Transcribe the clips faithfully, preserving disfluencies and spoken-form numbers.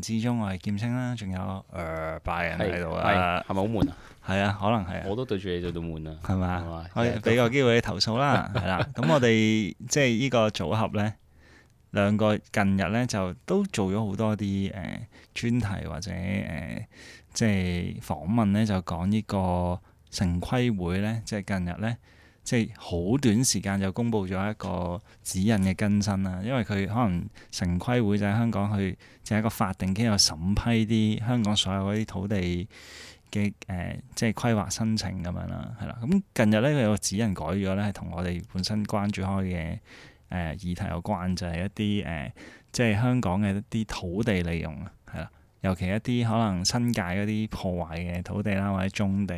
之中，我係劍青啦，仲有誒拜人喺度啦，係咪好悶啊？係啊，可能係啊，我都對住你做到悶啊，係嘛？嘛可以俾個機會你投訴啦，係啦。咁我哋即係呢個組合咧，兩個近日咧就都做咗好多啲誒、呃、專題或者誒、呃、即係訪問咧，就講呢個城規會咧，即係近日咧。即係好短時間就公布咗一個指引嘅更新啦，因為佢可能城規會就喺香港去就係一個法定機構審批啲香港所有嗰啲土地嘅誒、呃，即係規劃申請咁樣啦，係啦。咁近日咧佢有個指引改咗咧，係同我哋本身關注開嘅誒、呃、議題有關，就係、是、一啲誒、呃，即係香港嘅一啲土地利用啊，係啦，尤其一啲可能新界嗰啲破壞嘅土地啦，或者棕地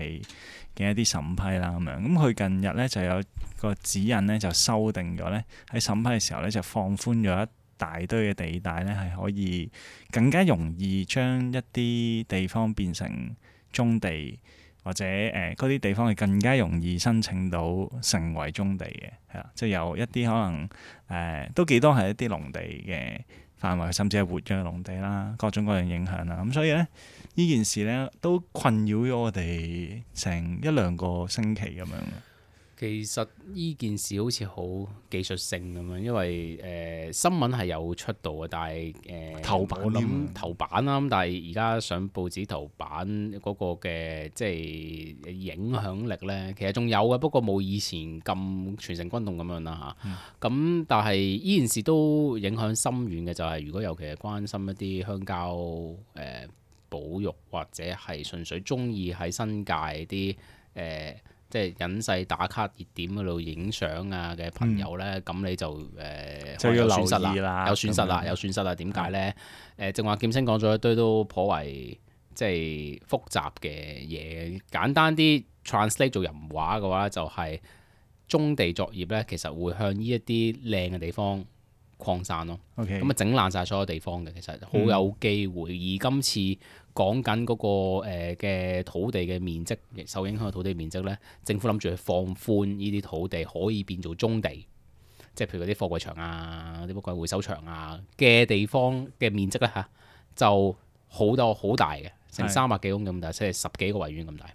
嘅一啲審批啦咁樣，咁佢近日咧就有個指引咧就修訂咗咧，喺審批嘅時候咧就放寬咗一大堆嘅地帶咧，係可以更加容易將一啲地方變成棕地，或者誒嗰啲地方係更加容易申請到成為棕地嘅，係啦，即係有一啲可能誒、呃、都幾多係一啲農地嘅範圍，甚至係活躍農地啦，各種各樣影響啦，咁所以咧。呢件事咧都困擾咗我哋成一兩個星期咁樣。其實呢件事好似好技術性咁樣，因為誒、呃、新聞係有出到嘅，但係誒、呃、頭版我諗頭版啦，咁但係而家上報紙頭版嗰個嘅即係影響力咧，其實仲有嘅，不過冇以前咁全城轟動咁樣啦嚇。咁、嗯、但係呢件事都影響深遠嘅，就係、是、如果尤其係關心一啲鄉郊誒。呃保育或者係純粹中意喺新界啲誒、呃，即係隱世打卡熱點嗰度影相啊嘅朋友咧，咁、嗯、你就誒、呃、就要有損失啦，有損失啦，有損失啦。點解咧？誒，正話劍星講咗一堆都頗為即係複雜嘅嘢。簡單啲 translate 做人話嘅話，就係棕地作業咧，其實會向呢一啲靚嘅地方擴散咯，咁啊整爛晒所有地方嘅，其實好有機會。嗯、而今次講緊嗰個嘅、呃、土地嘅面積，受影響嘅土地面積咧，政府諗住去放寬呢啲土地可以變做棕地，即係譬如嗰啲貨櫃場啊、啲乜鬼回收場啊嘅地方嘅面積咧嚇，就好多好大嘅，成三百幾公咁大，即係十幾個維園咁大。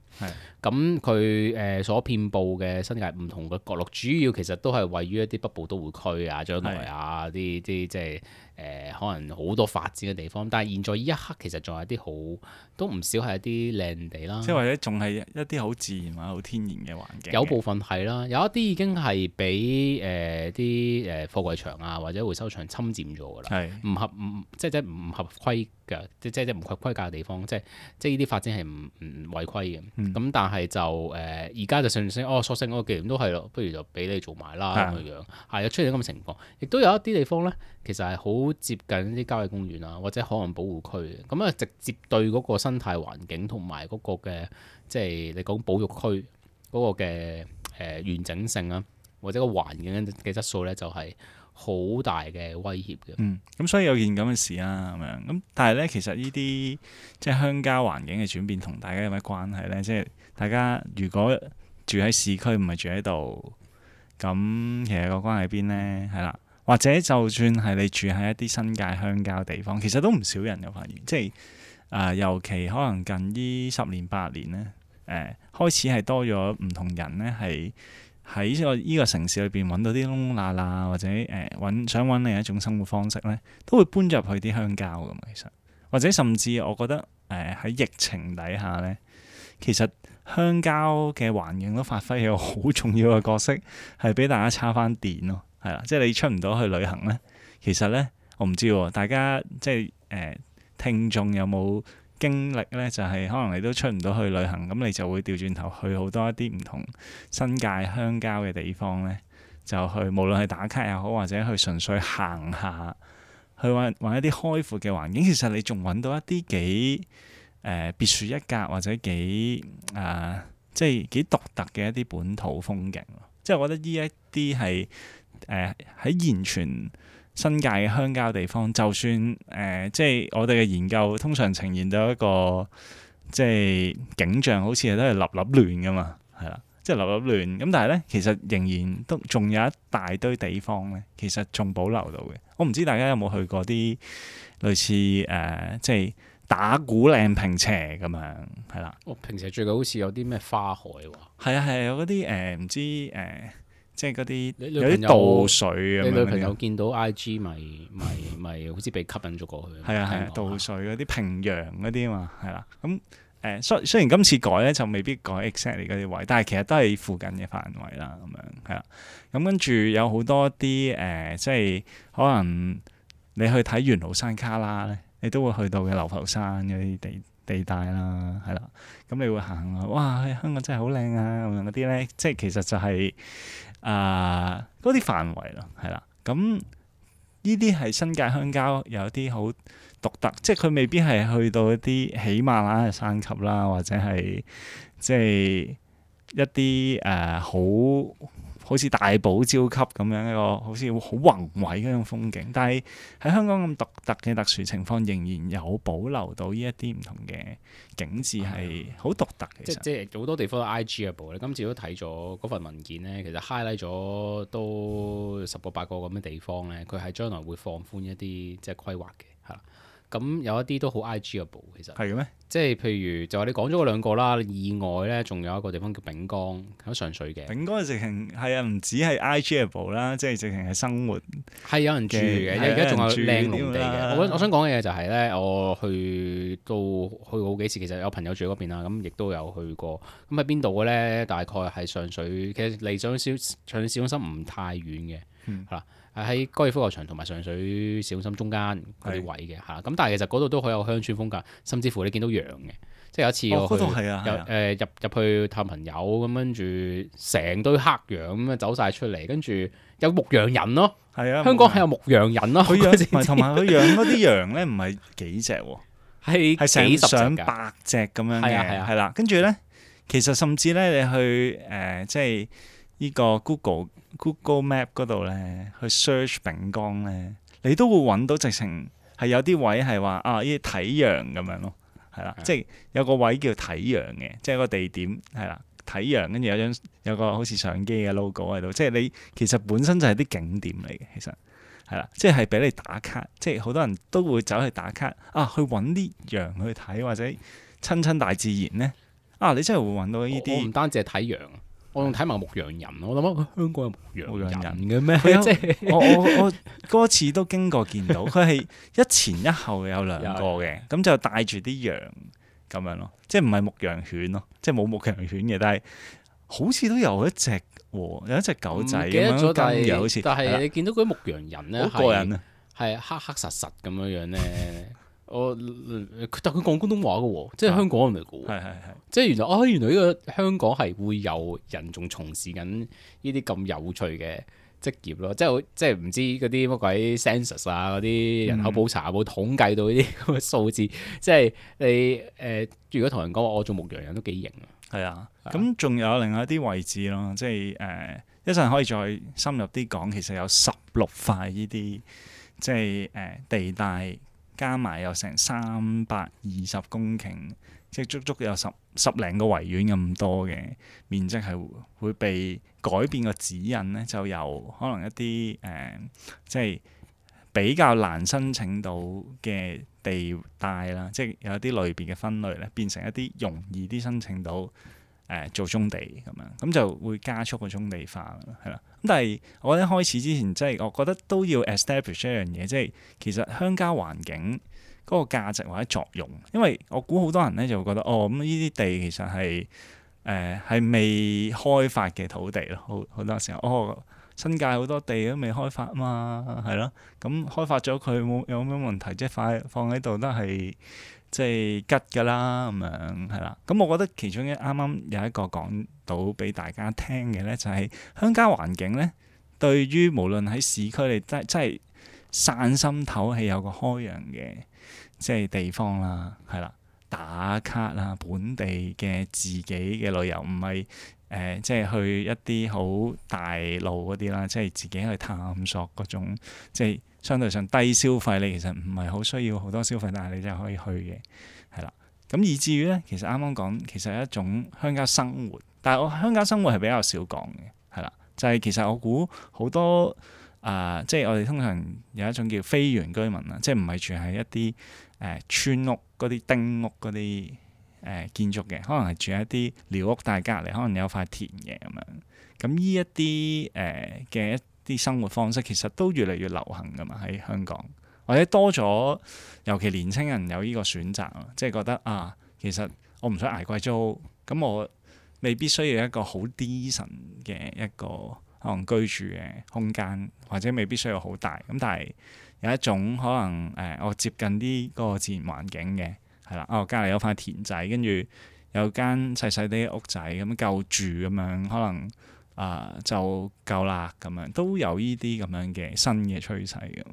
咁佢誒所遍佈嘅新界唔同嘅角落，主要其實都係位於一啲北部都會區啊、將來啊啲啲即係誒可能好多發展嘅地方。但係現在呢一刻其實仲有啲好都唔少係一啲靚地啦，即係或者仲係一啲好自然或者好天然嘅環境。有部分係啦，有一啲已經係俾誒啲誒貨櫃場啊或者回收場侵佔咗㗎啦，唔合唔即係即係唔合規嘅，即即即唔合規格嘅地方，即係即係呢啲發展係唔唔違規嘅。咁、嗯、但係就誒而家就上升哦，索性嗰個既然都係咯，不如就俾你做埋啦咁樣樣，係有出現咁嘅情況，亦都有一啲地方咧，其實係好接近啲郊野公園啊，或者海岸保護區嘅，咁啊直接對嗰個生態環境同埋嗰個嘅即係你講保育區嗰個嘅誒、呃、完整性啊，或者個環境嘅質素咧，就係、是、好大嘅威脅嘅。嗯，咁所以有件咁嘅事啦，咁樣咁，但係咧其實呢啲即係鄉郊環境嘅轉變，同大家有咩關係咧？即係大家如果住喺市區，唔係住喺度，咁其實個關係喺邊咧？係啦，或者就算係你住喺一啲新界鄉郊地方，其實都唔少人嘅發現，即係啊、呃，尤其可能近呢十年八年咧，誒、呃、開始係多咗唔同人咧係。喺呢個依個城市裏邊揾到啲窿窿罅罅，或者誒揾、呃、想揾另一種生活方式咧，都會搬入去啲鄉郊㗎嘛。其實或者甚至我覺得誒喺、呃、疫情底下咧，其實鄉郊嘅環境都發揮咗好重要嘅角色，係俾大家叉翻電咯。係啦，即係你出唔到去旅行咧，其實咧我唔知喎，大家即係誒、呃、聽眾有冇經歷咧？就係、是、可能你都出唔到去旅行，咁你就會調轉頭去好多一啲唔同新界鄉郊嘅地方咧，就去無論係打卡又好，或者去純粹行下，去揾揾一啲開闊嘅環境。其實你仲揾到一啲幾誒、呃、別樹一格，或者幾啊、呃、即係幾獨特嘅一啲本土風景。即係我覺得呢一啲係誒喺現存新界嘅鄉郊地方，就算誒、呃、即係我哋嘅研究通常呈現到一個即係景象，好似都係立立亂噶嘛，係啦。即係流流亂。咁但係咧，其實仍然都仲有一大堆地方咧，其實仲保留到嘅。我唔知大家有冇去過啲類似誒、呃，即係打鼓嶺坪輋咁樣，係啦。我平時最近好似有啲咩花海喎。係啊係啊，有嗰啲誒唔知誒、呃，即係嗰啲你有啲渡水咁樣。你女朋友見到 I G 咪咪咪好似被吸引咗過去。係啊係啊，渡水嗰啲平陽嗰啲啊嘛，係啦。咁誒雖雖然今次改咧就未必改 exactly 嗰啲位，但係其實都係附近嘅範圍啦，咁樣係啦。咁跟住有好多啲誒、呃，即係可能你去睇元老山卡拉咧，你都會去到嘅流浮山嗰啲地地帶啦，係啦。咁你會行啊，哇！香港真係好靚啊，咁樣嗰啲咧，即係其實就係啊嗰啲範圍咯，係啦。咁呢啲係新界鄉郊有啲好獨特，即係佢未必係去到一啲喜馬拉雅山級啦，或者係即係一啲誒、呃、好好似大堡礁級咁樣一個好似好宏偉嗰種風景。但係喺香港咁獨特嘅特殊情況，仍然有保留到呢一啲唔同嘅景緻係好獨特嘅。即即係好多地方都 I G 嘅部，你今次都睇咗嗰份文件咧，其實 highlight 咗都十個八個咁嘅地方咧，佢係將來會放寬一啲即係規劃嘅，係啦。咁有一啲都好 I G 嘅部，其實係嘅咩？即係譬如就話你講咗嗰兩個啦，意外咧仲有一個地方叫丙江喺上水嘅。丙江直情係啊，唔止係 I G 嘅部啦，即係直情係生活係有人住嘅，而家仲有靚農地嘅。我我想講嘅嘢就係咧，我去到去過好幾次，其實有朋友住嗰邊啦，咁亦都有去過。咁喺邊度嘅咧？大概係上水，其實離上水上水市中心唔太遠嘅，係啦、嗯。喺高爾夫球場同埋上水市中心中間嗰啲位嘅嚇，咁是但係其實嗰度都好有鄉村風格，甚至乎你見到羊嘅，即係有一次我去，哦啊、有誒、呃、入入去探朋友咁，跟住成堆黑羊咁樣走晒出嚟，跟住有牧羊人咯，係啊，香港係有牧羊人咯，佢養同埋佢養嗰啲羊咧，唔係幾隻喎，係係成上百隻咁樣嘅，係啦，跟住咧，其實甚至咧你去誒、呃、即係呢個 Google。Google Map 嗰度咧，去 search 丙江咧，你都會揾到直情係有啲位係話啊，呢啲睇羊咁樣咯，係啦，的即係有個位叫睇羊嘅，即係個地點係啦，睇羊跟住有張有個好似相機嘅 logo 喺度，即係你其實本身就係啲景點嚟嘅，其實係啦，即係俾你打卡，即係好多人都會走去打卡啊，去揾啲羊去睇或者親親大自然咧，啊，你真係會揾到呢啲。我唔單止係睇羊。我仲睇埋牧羊人，我諗啊，香港有牧羊人嘅咩？有即係我我我嗰次都經過見到，佢係一前一後有兩個嘅，咁就帶住啲羊咁樣咯，即係唔係牧羊犬咯，即係冇牧羊犬嘅，但係好似都有一隻喎，有一隻狗仔咁樣跟嘅，好似。但係你見到嗰啲牧羊人咧，好過癮啊，係黑黑實實咁樣樣咧。我但佢講廣東話嘅喎，即係香港人嚟嘅喎，係係係，即係原來啊，原來呢個香港係會有人仲從事緊呢啲咁有趣嘅職業咯，即係即係唔知嗰啲乜鬼 census 啊，嗰啲人口普查有冇統計到呢啲咁嘅數字？即係你誒、呃，如果同人講話我做牧羊人都幾型啊，係啊，咁仲有另外一啲位置咯，即係誒一陣可以再深入啲講，其實有十六塊呢啲即係誒、呃、地帶。加埋有成三百二十公頃，即係足足有十十零個維園咁多嘅面積，係會被改變個指引咧，就由可能一啲誒、呃，即係比較難申請到嘅地帶啦，即係有啲類別嘅分類咧，變成一啲容易啲申請到誒、呃、做棕地咁樣，咁就會加速個棕地化係啦。咁但係我覺得開始之前，即係我覺得都要 establish 一樣嘢，即係其實鄉郊環境嗰個價值或者作用，因為我估好多人咧就會覺得哦，咁呢啲地其實係誒係未開發嘅土地咯，好好多時候哦，新界好多地都未開發啊嘛，係咯，咁開發咗佢冇有咩問題？即係放放喺度都係即係吉㗎啦，咁樣係啦。咁我覺得其中一啱啱有一個講到俾大家聽嘅咧，就係鄉郊環境咧，對於無論喺市區你真真係散心唞氣有個開揚嘅即係地方啦，係啦，打卡啦，本地嘅自己嘅旅遊，唔係誒即係去一啲好大路嗰啲啦，即係自己去探索嗰種即係相對上低消費，你其實唔係好需要好多消費，但係你就可以去嘅，係啦。咁以至於咧，其實啱啱講其實係一種鄉郊生活，但係我鄉郊生活係比較少講嘅，係啦，就係、是、其實我估好多啊、呃，即係我哋通常有一種叫非原居民啦，即係唔係住喺一啲誒、呃、村屋嗰啲丁屋嗰啲誒建築嘅，可能係住喺一啲寮屋，但係隔離可能有塊田嘅咁樣。咁呢一啲誒嘅一啲生活方式，其實都越嚟越流行噶嘛喺香港。或者多咗，尤其年青人有呢個選擇咯，即係覺得啊，其實我唔想捱貴租，咁我未必需要一個好 decent 嘅一個可能居住嘅空間，或者未必需要好大。咁但係有一種可能誒、呃，我接近啲嗰個自然環境嘅，係啦，哦隔離有塊田仔，跟住有間細細啲屋仔咁夠住咁樣，可能啊、呃、就夠啦咁樣，都有呢啲咁樣嘅新嘅趨勢嘅。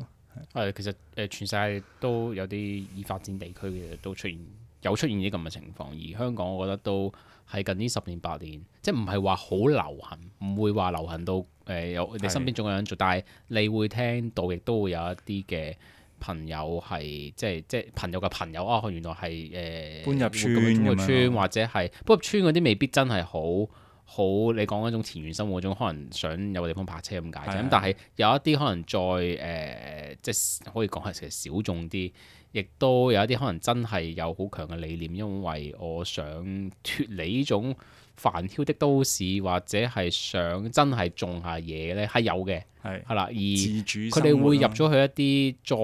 係，其實誒全世界都有啲已發展地區嘅都出現有出現啲咁嘅情況，而香港我覺得都係近呢十年八年，即係唔係話好流行，唔會話流行到誒有你身邊仲有人做，但係你會聽到亦都會有一啲嘅朋友係即係即係朋友嘅朋友啊，原來係誒、呃、搬入村搬入村樣或者係搬入村嗰啲未必真係好。好，你講嗰種田園生活嗰種，可能想有個地方泊車咁解啫。咁的但係有一啲可能再誒、呃，即係可以講係其實小眾啲，亦都有一啲可能真係有好強嘅理念，因為我想脫離呢種煩囂的都市，或者係想真係種下嘢咧，係有嘅，係係啦。而佢哋會入咗去一啲再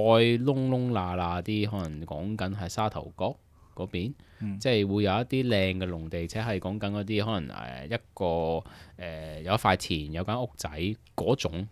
窿窿罅罅啲，可能講緊係沙頭角嗰邊。嗯、即係會有一啲靚嘅農地，且係講緊嗰啲可能誒一個誒、呃、有一塊田有間屋仔嗰種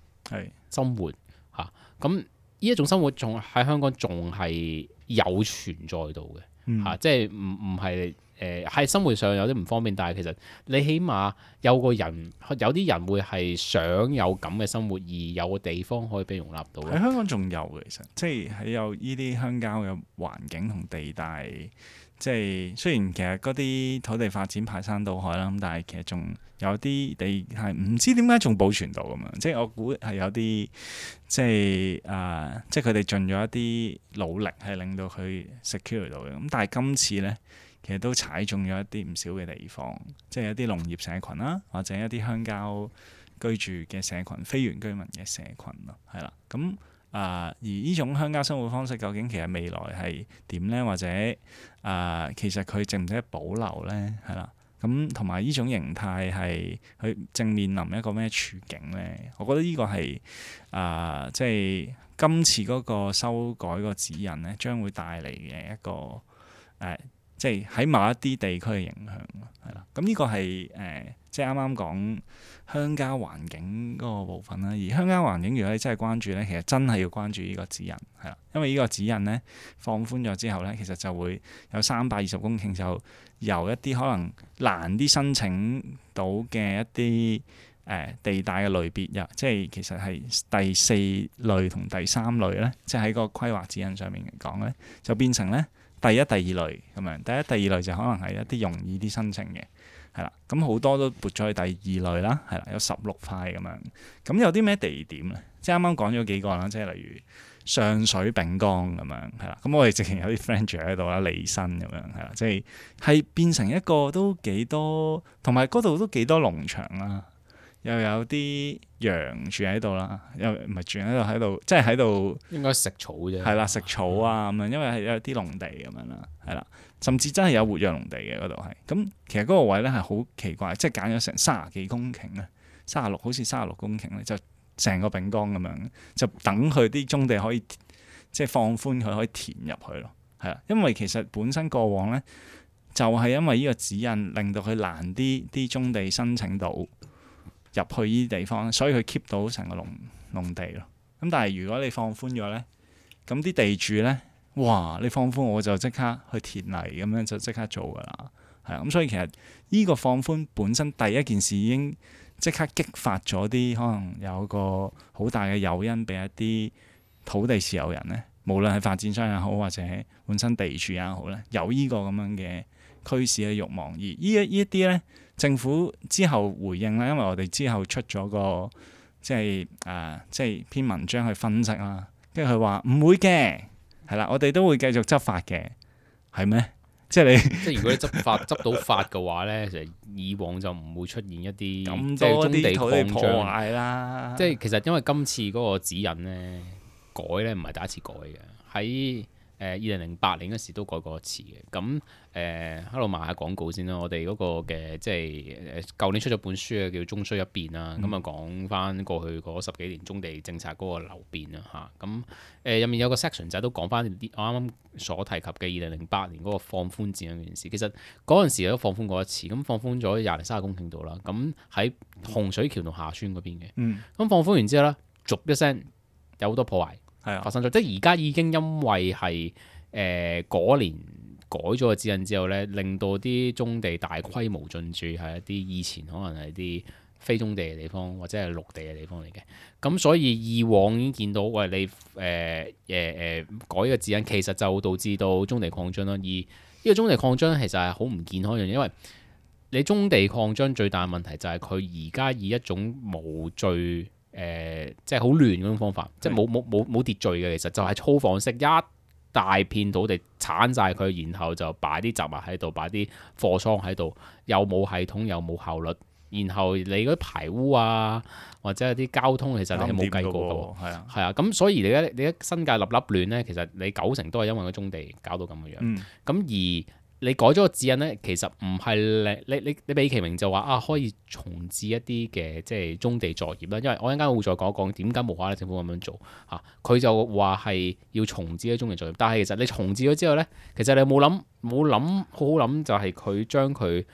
生活嚇，咁呢一種生活仲喺香港仲係有存在到嘅嚇、嗯啊，即係唔唔係誒喺生活上有啲唔方便，但係其實你起碼有個人有啲人會係想有咁嘅生活，而有個地方可以俾容納到。喺香港仲有嘅，其實即係喺有呢啲鄉郊嘅環境同地帶。即係雖然其實嗰啲土地發展排山倒海啦，咁但係其實仲有啲地係唔知點解仲保存到咁樣。即係我估係有啲即係啊、呃，即係佢哋盡咗一啲努力係令到佢 secure 到嘅。咁但係今次咧，其實都踩中咗一啲唔少嘅地方，即係一啲農業社群啦，或者一啲鄉郊居住嘅社群、非原居民嘅社群咯，係啦，咁。啊、呃！而呢種鄉郊生活方式究竟其實未來係點呢？或者啊、呃，其實佢值唔值得保留呢？係啦，咁同埋呢種形態係佢正面臨一個咩處境呢？我覺得呢個係啊、呃，即係今次嗰個修改個指引呢，將會帶嚟嘅一個誒、呃，即係喺某一啲地區嘅影響，係啦。咁呢個係誒、呃，即係啱啱講。鄉郊環境嗰個部分啦，而鄉郊環境如果你真係關注咧，其實真係要關注呢個指引，係啦，因為呢個指引咧放寬咗之後咧，其實就會有三百二十公頃，就由一啲可能難啲申請到嘅一啲誒、呃、地帶嘅類別入，即係其實係第四類同第三類咧，即係喺個規劃指引上面嚟講咧，就變成咧第一、第二類咁樣，第一、第二類就可能係一啲容易啲申請嘅。係啦，咁好多都撥咗去第二類啦，係啦，有十六塊咁樣。咁有啲咩地點咧？即係啱啱講咗幾個啦，即係例如上水丙崗咁樣，係啦。咁我哋直情有啲 friend 住喺度啦，利新咁樣，係啦，即係係變成一個都幾多，同埋嗰度都幾多農場啦，又有啲羊住喺度啦，又唔係住喺度喺度，即係喺度應該食草啫。係啦，食草啊咁樣，因為係有啲農地咁樣啦，係啦。甚至真係有活躍農地嘅嗰度係，咁其實嗰個位咧係好奇怪，即係揀咗成三十幾公頃咧，三十六好似三十六公頃咧，就成個丙崗咁樣，就等佢啲棕地可以即係放寬佢可以填入去咯，係啦，因為其實本身過往咧就係、是、因為呢個指引令到佢難啲啲棕地申請到入去呢啲地方，所以佢 keep 到成個農農地咯。咁但係如果你放寬咗咧，咁啲地主咧。哇！你放寬我就即刻去填泥咁樣就即刻做噶啦，係啊，咁所以其實呢個放寬本身第一件事已經即刻激發咗啲可能有個好大嘅誘因俾一啲土地持有人咧，無論係發展商也好或者本身地主也好咧，有呢個咁樣嘅驅使嘅慾望。而呢一呢一啲咧，政府之後回應啦，因為我哋之後出咗個即係誒、呃、即係篇文章去分析啦，跟住佢話唔會嘅。係啦，我哋都會繼續執法嘅，係咩？即係你即係如果你執法執到法嘅話咧，其實以往就唔會出現一啲咁即係棕地多啲土地破擴張。壞啦。即係其實因為今次嗰個指引咧改咧唔係第一次改嘅，喺誒二零零八年嗰時都改過一次嘅。咁誒喺度賣下廣告先啦。我哋嗰個嘅即係誒舊年出咗本書啊，叫《中需一變》啦。咁啊講翻過去嗰十幾年棕地政策嗰個流變啦嚇。咁誒入面有個 section 就係都講翻啲我啱啱所提及嘅二零零八年嗰個放寬指引嗰件事。其實嗰陣時都放寬過一次，咁放寬咗廿零三十公頃度啦。咁喺洪水橋同下村嗰邊嘅。嗯。咁放寬完之後咧，逐一聲有好多破壞。係啊，發生咗，即係而家已經因為係誒嗰年改咗個指引之後咧，令到啲棕地大規模進駐係一啲以前可能係啲非棕地嘅地方或者係陸地嘅地方嚟嘅。咁所以以往已經見到，喂你誒誒誒改個指引，其實就導致到棕地擴張啦。而呢個棕地擴張其實係好唔健康嘅，因為你棕地擴張最大嘅問題就係佢而家以一種無序。誒、呃，即係好亂嗰種方法，即係冇冇冇冇秩序嘅，其實就係粗放式一大片土地剷晒佢，然後就擺啲雜物喺度，擺啲貨倉喺度，又冇系統又冇效率，然後你嗰啲排污啊，或者係啲交通，其實你係冇計過嘅喎，係啊，係啊，咁所以你而家你一新界立立亂咧，其實你九成都係因為個棕地搞到咁嘅樣，咁、嗯、而你改咗個指引咧，其實唔係你你你你美其名就話啊，可以重置一啲嘅即係棕地作業啦。因為我一陣間會再講一講點解無啦啦政府咁樣做嚇。佢、啊、就話係要重置啲棕地作業，但係其實你重置咗之後咧，其實你冇諗冇諗好好諗，就係佢將佢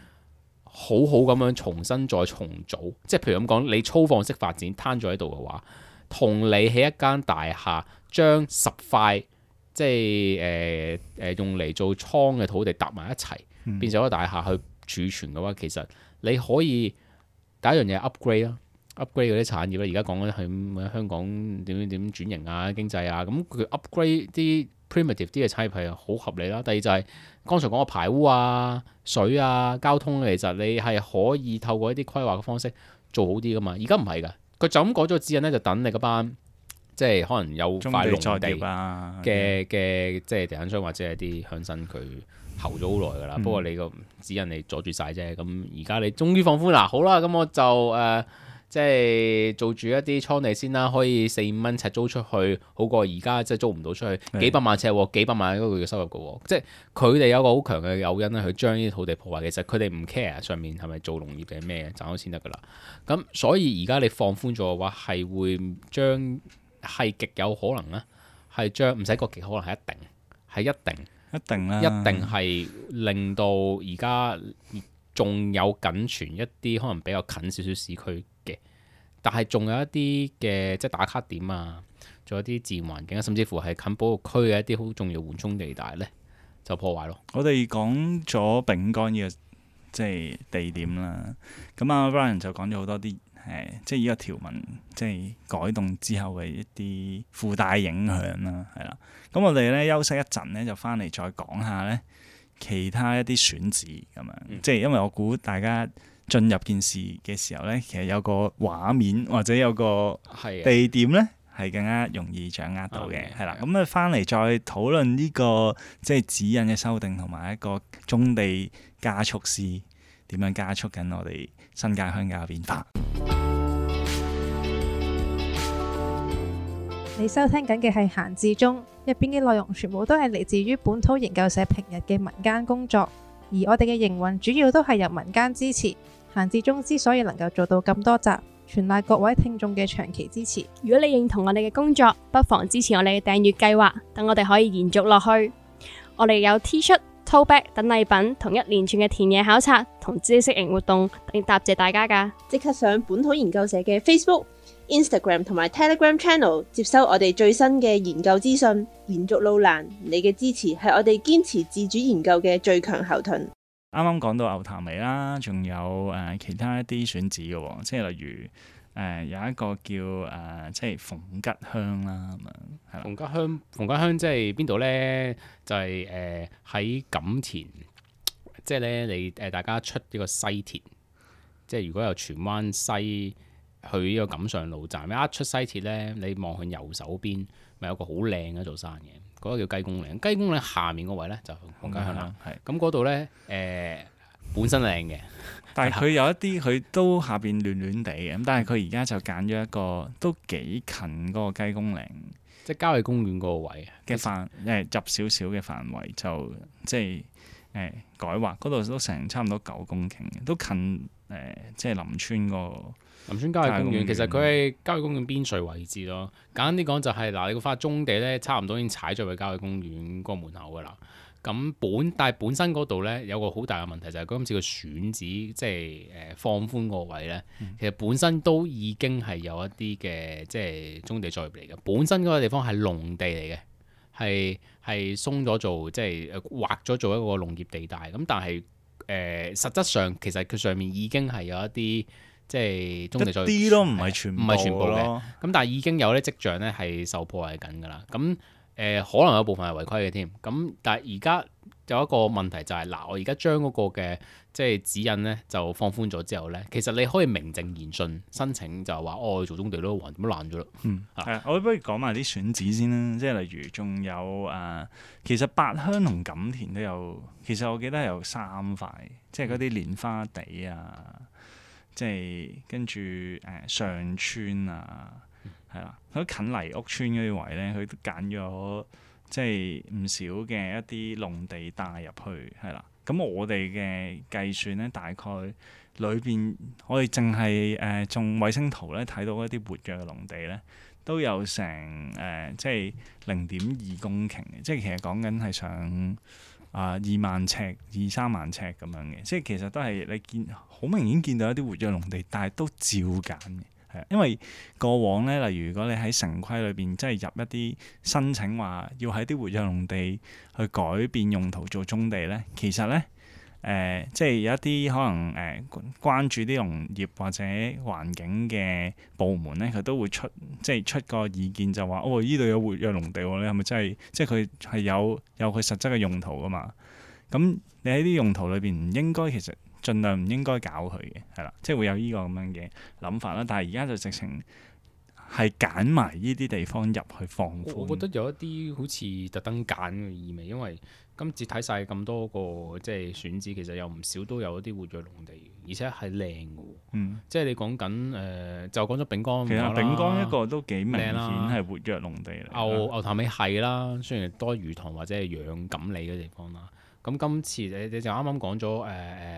好好咁樣重新再重組。即係譬如咁講，你粗放式發展攤咗喺度嘅話，同你喺一間大廈將十塊。即係誒誒用嚟做倉嘅土地搭埋一齊，嗯、變成一個大廈去儲存嘅話，其實你可以第一樣嘢 upgrade 啦，upgrade 嗰啲產業啦。而家講緊係香港點點點轉型啊，經濟啊，咁佢 upgrade 啲 primitive 啲嘅產業係好合理啦。第二就係剛才講嘅排污啊、水啊、交通，其實你係可以透過一啲規劃嘅方式做好啲噶嘛。而家唔係㗎，佢就咁改咗個指引咧，就等你嗰班。即係可能有塊農地嘅嘅，即係地產商或者係啲鄉紳，佢候咗好耐㗎啦。嗯、不過你個指引你阻住晒啫。咁而家你終於放寬啦，好啦，咁我就誒、呃、即係做住一啲倉地先啦，可以四五蚊尺租出去，好過而家即係租唔到出去的幾百萬尺喎，幾百萬嗰個月收入嘅喎。即係佢哋有個好強嘅誘因咧，去將呢啲土地破壞。其實佢哋唔 care 上面係咪做農業定係咩，賺到錢得㗎啦。咁所以而家你放寬咗嘅話，係會將係極有可能咧，係將唔使個極可能係一定，係一定，一定啦，一定係令到而家仲有僅存一啲可能比較近少少市區嘅，但係仲有一啲嘅即係打卡點啊，仲有啲自然環境啊，甚至乎係近保育區嘅一啲好重要緩衝地帶咧，就破壞咯。我哋講咗丙干呢個即係地點啦，咁啊 Brian 就講咗好多啲。誒，即係呢個條文，即係改動之後嘅一啲附帶影響啦，係啦。咁我哋咧休息一陣咧，就翻嚟再講下咧其他一啲選址咁樣。嗯、即係因為我估大家進入件事嘅時候咧，其實有個畫面或者有個地點咧係更加容易掌握到嘅，係啦。咁啊翻嚟再討論呢個即係指引嘅修訂同埋一個棕地加速師點樣加速緊我哋新界鄉郊嘅變化。你收聽緊嘅係閒置中，入邊嘅內容全部都係嚟自於本土研究社平日嘅民間工作，而我哋嘅營運主要都係由民間支持。閒置中之所以能夠做到咁多集，全賴各位聽眾嘅長期支持。如果你認同我哋嘅工作，不妨支持我哋嘅訂閱計劃，等我哋可以延續落去。我哋有 T 恤、Tote Bag 等禮品，同一連串嘅田野考察同知識型活動，嚟答謝大家㗎。即刻上本土研究社嘅 Facebook、Instagram 同埋 Telegram Channel 接收我哋最新嘅研究資訊，延續路難，你嘅支持係我哋堅持自主研究嘅最強後盾。啱啱講到牛潭尾啦，仲有誒、呃、其他一啲選址嘅喎，即係例如誒、呃、有一個叫誒、呃、即係鳳吉鄉啦咁樣，係啦。鳳吉鄉，鳳吉鄉即係邊度咧？就係誒喺錦田，即係咧你誒大家出呢個西鐵，即係如果由荃灣西去呢個錦上路站，一出西鐵咧，你望向右手邊，咪有個好靚嘅一座山嘅。嗰、個叫雞公嶺。雞公嶺下面個位咧就黃家鄉啦。係咁嗰度咧誒本身靚嘅，但係佢有一啲佢都下邊亂亂地嘅，咁但係佢而家就揀咗一個都幾近嗰個雞公嶺即係郊野公園嗰個位嘅範誒入少少嘅範圍，就即係誒、呃、改劃嗰度都成差唔多九公頃嘅，都近誒、呃、即係林村個林村郊野公園。郊野公園其實佢係郊野公園邊陲位置咯。簡單啲講就係、嗱，你個塊棕地咧，差唔多已經踩咗去郊野公園嗰個門口噶啦。咁本但係本身嗰度咧有個好大嘅問題，就係、是、今次個選址即係誒、呃、放寬個位咧，嗯、其實本身都已經係有一啲嘅即係棕地作業嚟嘅。本身嗰個地方係農地嚟嘅，係係鬆咗做即係誒劃咗做一個農業地帶。咁但係誒、呃、實質上其實佢上面已經係有一啲即係棕地作業，一啲都唔係全部唔係全部嘅。咯。咁但係已經有啲跡象咧係受破壞緊㗎啦。咁誒、呃、可能有部分係違規嘅添，咁但係而家有一個問題就係、是、嗱，我而家將嗰個嘅即係指引咧就放寬咗之後咧，其實你可以名正言順申請就係話哦，做棕地咯，還點樣爛咗咯？嗯，啊係啊，我不如講埋啲選址先啦，即係例如仲有誒、呃，其實八鄉同錦田都有，其實我記得有三塊，即係嗰啲蓮花地啊，即係跟住誒、呃、上村啊。係啦，佢近泥屋村嗰啲位咧，佢都揀咗即係唔少嘅一啲農地帶入去，係啦。咁我哋嘅計算咧，大概裏邊我哋淨係誒種衛星圖咧睇到一啲活躍嘅農地咧，都有成誒、呃、即係零點二公頃嘅，即係其實講緊係上啊二萬尺、二三萬尺咁樣嘅，即係其實都係你見好明顯見到一啲活躍農地，但係都照揀嘅。係，因為過往咧，例如如果你喺城規裏邊，即係入一啲申請話要喺啲活躍農地去改變用途做棕地咧，其實咧誒、呃，即係有一啲可能誒、呃、關注啲農業或者環境嘅部門咧，佢都會出即係出個意見，就話哦，依度有活躍農地喎，你係咪真係即係佢係有有佢實質嘅用途噶嘛？咁你喺啲用途裏邊唔應該其實。盡量唔應該搞佢嘅，係啦，即係會有呢個咁樣嘅諗法啦。但係而家就直情係揀埋呢啲地方入去放寬。我覺得有一啲好似特登揀嘅意味，因為今次睇晒咁多個即係選址，其實有唔少都有一啲活躍農地，而且係靚嘅喎。嗯，即係你講緊誒，就講咗丙江。其實丙江一個都幾明顯啦係活躍農地嚟。牛牛潭尾係啦，雖然多魚塘或者係養錦鯉嘅地方啦。咁今次你你就啱啱講咗誒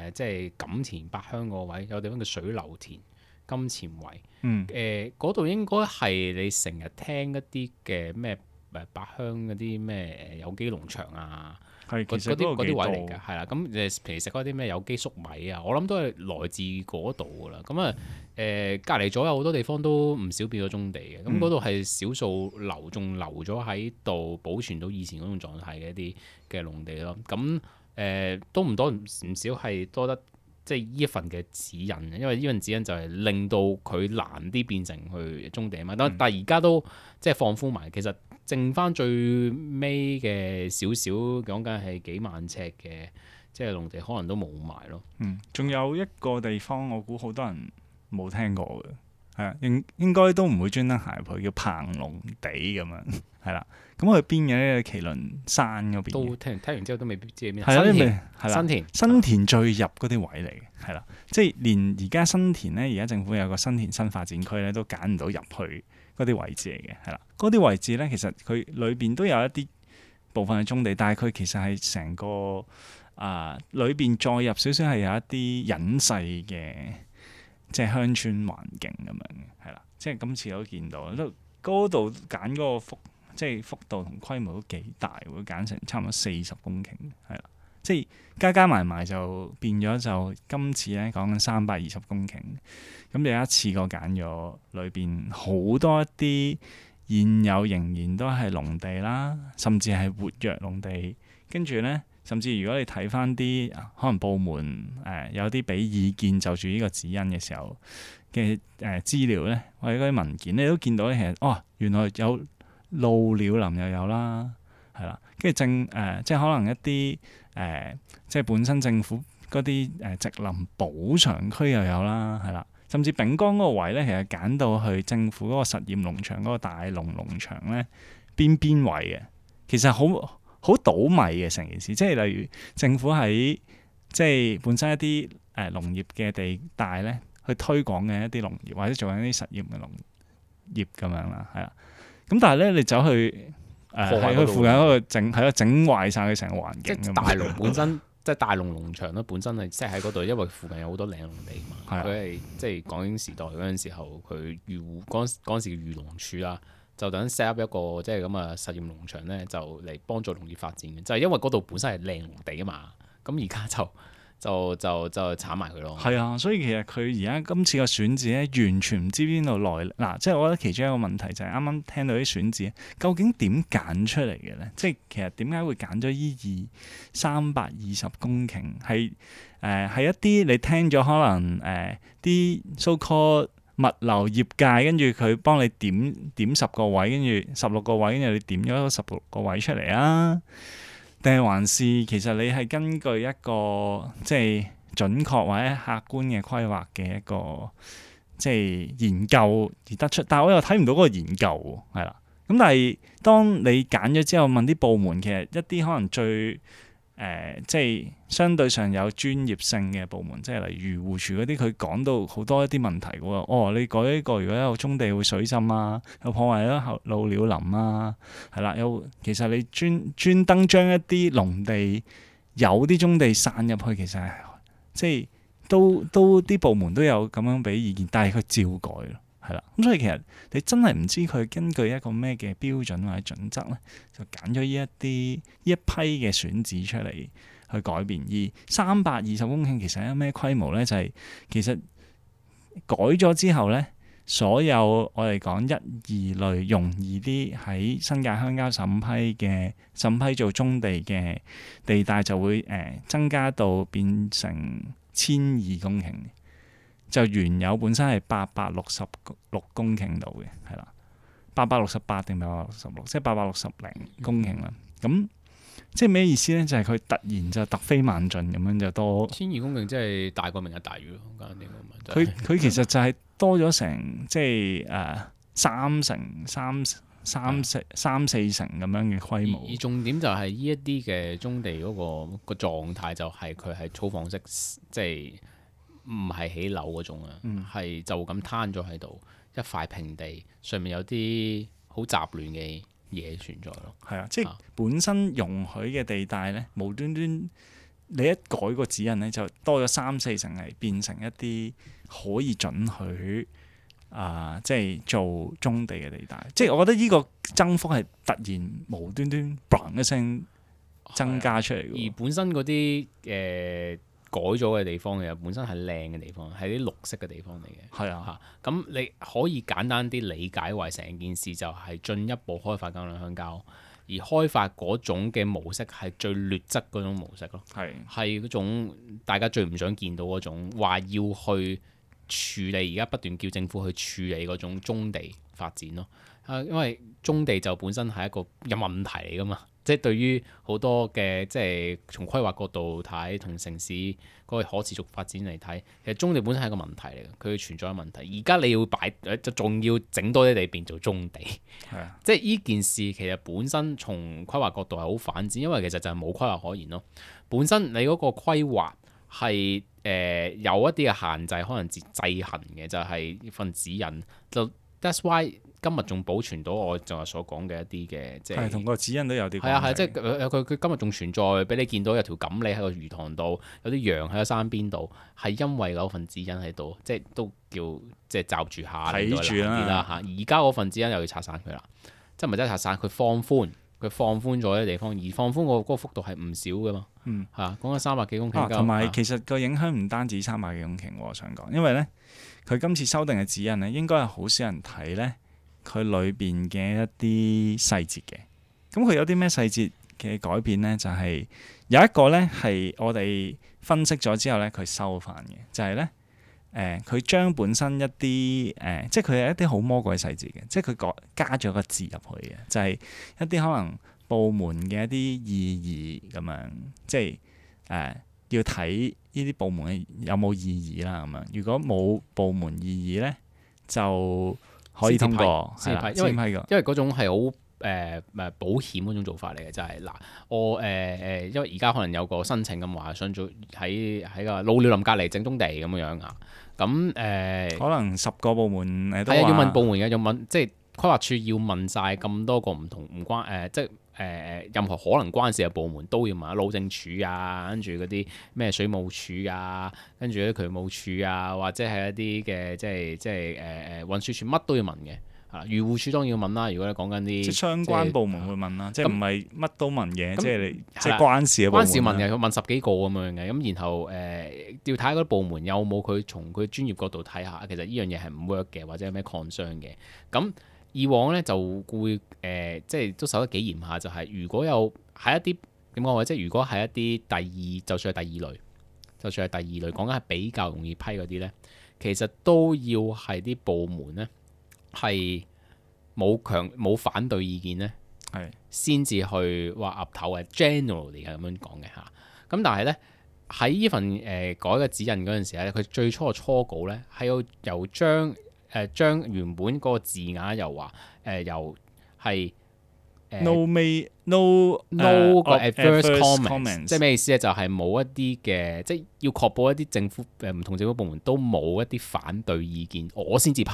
誒，即係錦田八鄉個位有地方叫水流田金錢圍，嗯，誒嗰度應該係你成日聽一啲嘅咩誒八鄉嗰啲咩誒有機農場啊，係其實嗰啲嗰啲位嚟嘅㗎，係啦。咁誒平時食嗰啲咩有機粟米啊，我諗都係來自嗰度㗎啦。咁啊誒隔離咗有好多地方都唔少變咗棕地嘅，咁嗰度係少數留仲留咗喺度保存到以前嗰種狀態嘅一啲嘅農地咯。咁誒、呃、都唔多唔少係多得即係呢一份嘅指引，因為呢份指引就係令到佢難啲變成去棕地啊嘛。但、嗯、但係而家都即係放寬埋，其實剩翻最尾嘅少少講緊係幾萬尺嘅即係農地，可能都冇埋咯。嗯，仲有一個地方我估好多人冇聽過嘅，係啊，應應該都唔會專登行入去，叫彭龍地咁樣，係啦。咁佢邊嘅咧？麒麟山嗰邊。都聽聽完之後都未必知係咩。係啦，新田，係啦，新田，新田最入嗰啲位嚟嘅，係啦，即係連而家新田咧，而家政府有個新田新發展區咧，都揀唔到入去嗰啲位置嚟嘅，係啦。嗰啲位置咧，其實佢裏邊都有一啲部分係棕地，但係佢其實係成個啊裏邊再入少少係有一啲隱世嘅。即係鄉村環境咁樣嘅，係啦，即係今次都見到，都嗰度揀嗰個幅，即係幅度同規模都幾大，會揀成差唔多四十公頃，係啦，即係加加埋埋就變咗就今次咧講緊三百二十公頃，咁有一次過揀咗裏邊好多一啲現有仍然都係農地啦，甚至係活躍農地，跟住咧。甚至如果你睇翻啲可能部門誒、呃、有啲俾意見就住呢個指引嘅時候嘅誒資料咧，或者嗰啲文件你都見到咧，其實哦原來有鷺鳥林又有啦，係啦，跟住正誒即係可能一啲誒、呃、即係本身政府嗰啲誒植林補償區又有啦，係啦，甚至丙江嗰個位咧，其實揀到去政府嗰個實驗農場嗰個大龍農場咧邊邊位嘅。其實好好倒米嘅成件事，即係例如政府喺即係本身一啲誒、呃、農業嘅地帶咧，去推廣嘅一啲農業或者做緊啲實驗嘅農業咁樣啦，係啦。咁但係咧，你走去誒喺佢附近嗰度整，係咯，整壞晒佢成個環境。即係大農本身，即係大農農場咧，本身係即係喺嗰度，因為附近有好多嶺農地嘛。佢係即係港英時代嗰陣時候，佢漁護嗰陣嗰陣時嘅漁農署啦，就等 set up 一個即係咁嘅實驗農場咧，就嚟幫助農業發展嘅。就係因為嗰度本身係嶺農地啊嘛，咁而家就。就就就鏟埋佢咯。係啊，所以其實佢而家今次個選址咧，完全唔知邊度來嗱、啊，即係我覺得其中一個問題就係啱啱聽到啲選址，究竟點揀出嚟嘅咧？即係其實點解會揀咗依二三百二十公頃？係誒係一啲你聽咗可能誒啲 so called 物流業界，跟住佢幫你點點十個位，跟住十六個位，跟住你點咗十六個位出嚟啊？定係還是其實你係根據一個即係準確或者客觀嘅規劃嘅一個即係研究而得出，但係我又睇唔到嗰個研究喎，係啦。咁但係當你揀咗之後問啲部門，其實一啲可能最誒、呃、即係相對上有專業性嘅部門，即係例如漁護署嗰啲，佢講到好多一啲問題嘅喎。哦，你改呢個如果有棕地會水浸啊，有破壞咗老鳥林啊，係啦，有其實你專專登將一啲農地有啲棕地散入去，其實係即係都都啲部門都有咁樣俾意見，但係佢照改咯。係啦，咁所以其實你真係唔知佢根據一個咩嘅標準或者準則咧，就揀咗呢一啲呢一批嘅選址出嚟去改變。而三百二十公頃其實係咩規模咧？就係、是、其實改咗之後咧，所有我哋講一二類容易啲喺新界鄉郊審批嘅審批做棕地嘅地帶就會誒、呃、增加到變成千二公頃。就原有本身係八百六十六公頃度嘅，係啦，八百六十八定八百六十六，即係八百六十零公頃啦。咁即係咩意思咧？就係、是、佢突然就突飛猛進咁樣就多千二公頃，即係大過明日大嶼咯。簡單啲講，佢佢其實就係多咗成即係誒、呃、三成三三四三四成咁樣嘅規模。而重點就係呢一啲嘅棕地嗰、那個個狀態，就係佢係粗放式，即係。唔係起樓嗰種啊，係、嗯、就咁攤咗喺度一塊平地，上面有啲好雜亂嘅嘢存在咯。係啊，即係本身容許嘅地帶咧，無端端你一改個指引咧，就多咗三四成係變成一啲可以准許啊、呃，即係做棕地嘅地帶。即係我覺得呢個增幅係突然無端端嘭一聲增加出嚟嘅。而本身嗰啲誒。呃改咗嘅地方嘅，本身係靚嘅地方，係啲綠色嘅地方嚟嘅。係啊，嚇咁你可以簡單啲理解為成件事就係進一步開發更多鄉郊，而開發嗰種嘅模式係最劣質嗰種模式咯。係係嗰種大家最唔想見到嗰種，話要去處理，而家不斷叫政府去處理嗰種棕地發展咯。啊，因為棕地就本身係一個有問題嚟噶嘛。即係對於好多嘅即係從規劃角度睇，同城市嗰個可持續發展嚟睇，其實棕地本身係一個問題嚟嘅，佢存在嘅問題。而家你要擺，就仲要整多啲地變做棕地，係即係呢件事其實本身從規劃角度係好反智，因為其實就係冇規劃可言咯。本身你嗰個規劃係誒、呃、有一啲嘅限制，可能制制衡嘅，就係、是、份指引。就 that's why 今日仲保存到我就係所講嘅一啲嘅，即係同個指引都有啲關係。係啊係，即係佢佢今日仲存在，俾你見到有條錦鯉喺個魚塘度，有啲羊喺個山邊度，係因為有份指引喺度，即係都叫即係罩住下睇住啦嚇。而家嗰份指引又要拆散佢啦，即係唔係真係拆散，佢放寬，佢放寬咗啲地方，而放寬個嗰個幅度係唔少噶嘛。嗯，係講緊三百幾公頃。同埋、啊、其實個影響唔單止三百幾公頃，我想講，因為咧佢今次修訂嘅指引咧，應該係好少人睇咧。佢裏邊嘅一啲細節嘅，咁佢有啲咩細節嘅改變咧？就係、是、有一個咧係我哋分析咗之後咧，佢收翻嘅，就係咧誒，佢將本身一啲誒、呃，即係佢係一啲好魔鬼細節嘅，即係佢改加咗個字入去嘅，就係、是、一啲可能部門嘅一啲意義咁樣，即係誒、呃、要睇呢啲部門有冇意義啦咁樣。如果冇部門意義咧，就可以通過，係啦，因為因為嗰種係好誒誒保險嗰種做法嚟嘅，就係、是、嗱我誒誒、呃，因為而家可能有個申請咁話，想做喺喺個老鳥林隔離整宗地咁樣樣啊，咁誒、呃、可能十個部門誒都話係啊，要問部門嘅，要問即係規劃處要問晒咁多個唔同唔關誒、呃，即係誒誒任何可能關事嘅部門都要問，路政署啊，跟住嗰啲咩水務署啊，跟住啲渠務署啊，或者係一啲嘅即係即係誒誒運輸署乜都要問嘅。啊，漁護署當然要問啦。如果你講緊啲即係相關部門會問啦，即係唔係乜都問嘅，即係你即係係關事嘅部門。關事問嘅，佢問十幾個咁樣嘅，咁然後誒、呃、要睇下嗰啲部門有冇佢從佢專業角度睇下，其實呢樣嘢係唔 work 嘅，或者有咩 concern 嘅。咁以往咧就會誒、呃、即係都守得幾嚴下，就係、是、如果有喺一啲點講話，即係如果係一啲第二，就算係第二類，就算係第二類，講緊係比較容易批嗰啲咧，其實都要係啲部門咧。係冇強冇反對意見咧，係先至去話岌頭嘅 generally 係咁樣講嘅嚇。咁但係咧喺呢份誒、呃、改嘅指引嗰陣時咧，佢最初嘅初稿咧係要由將誒、呃、將原本嗰個字眼又話誒、呃、由係。no may no no 個 adverse comments， comments 即係咩意思咧？就係、是、冇一啲嘅，即係要確保一啲政府誒唔同政府部門都冇一啲反對意見，我先至批。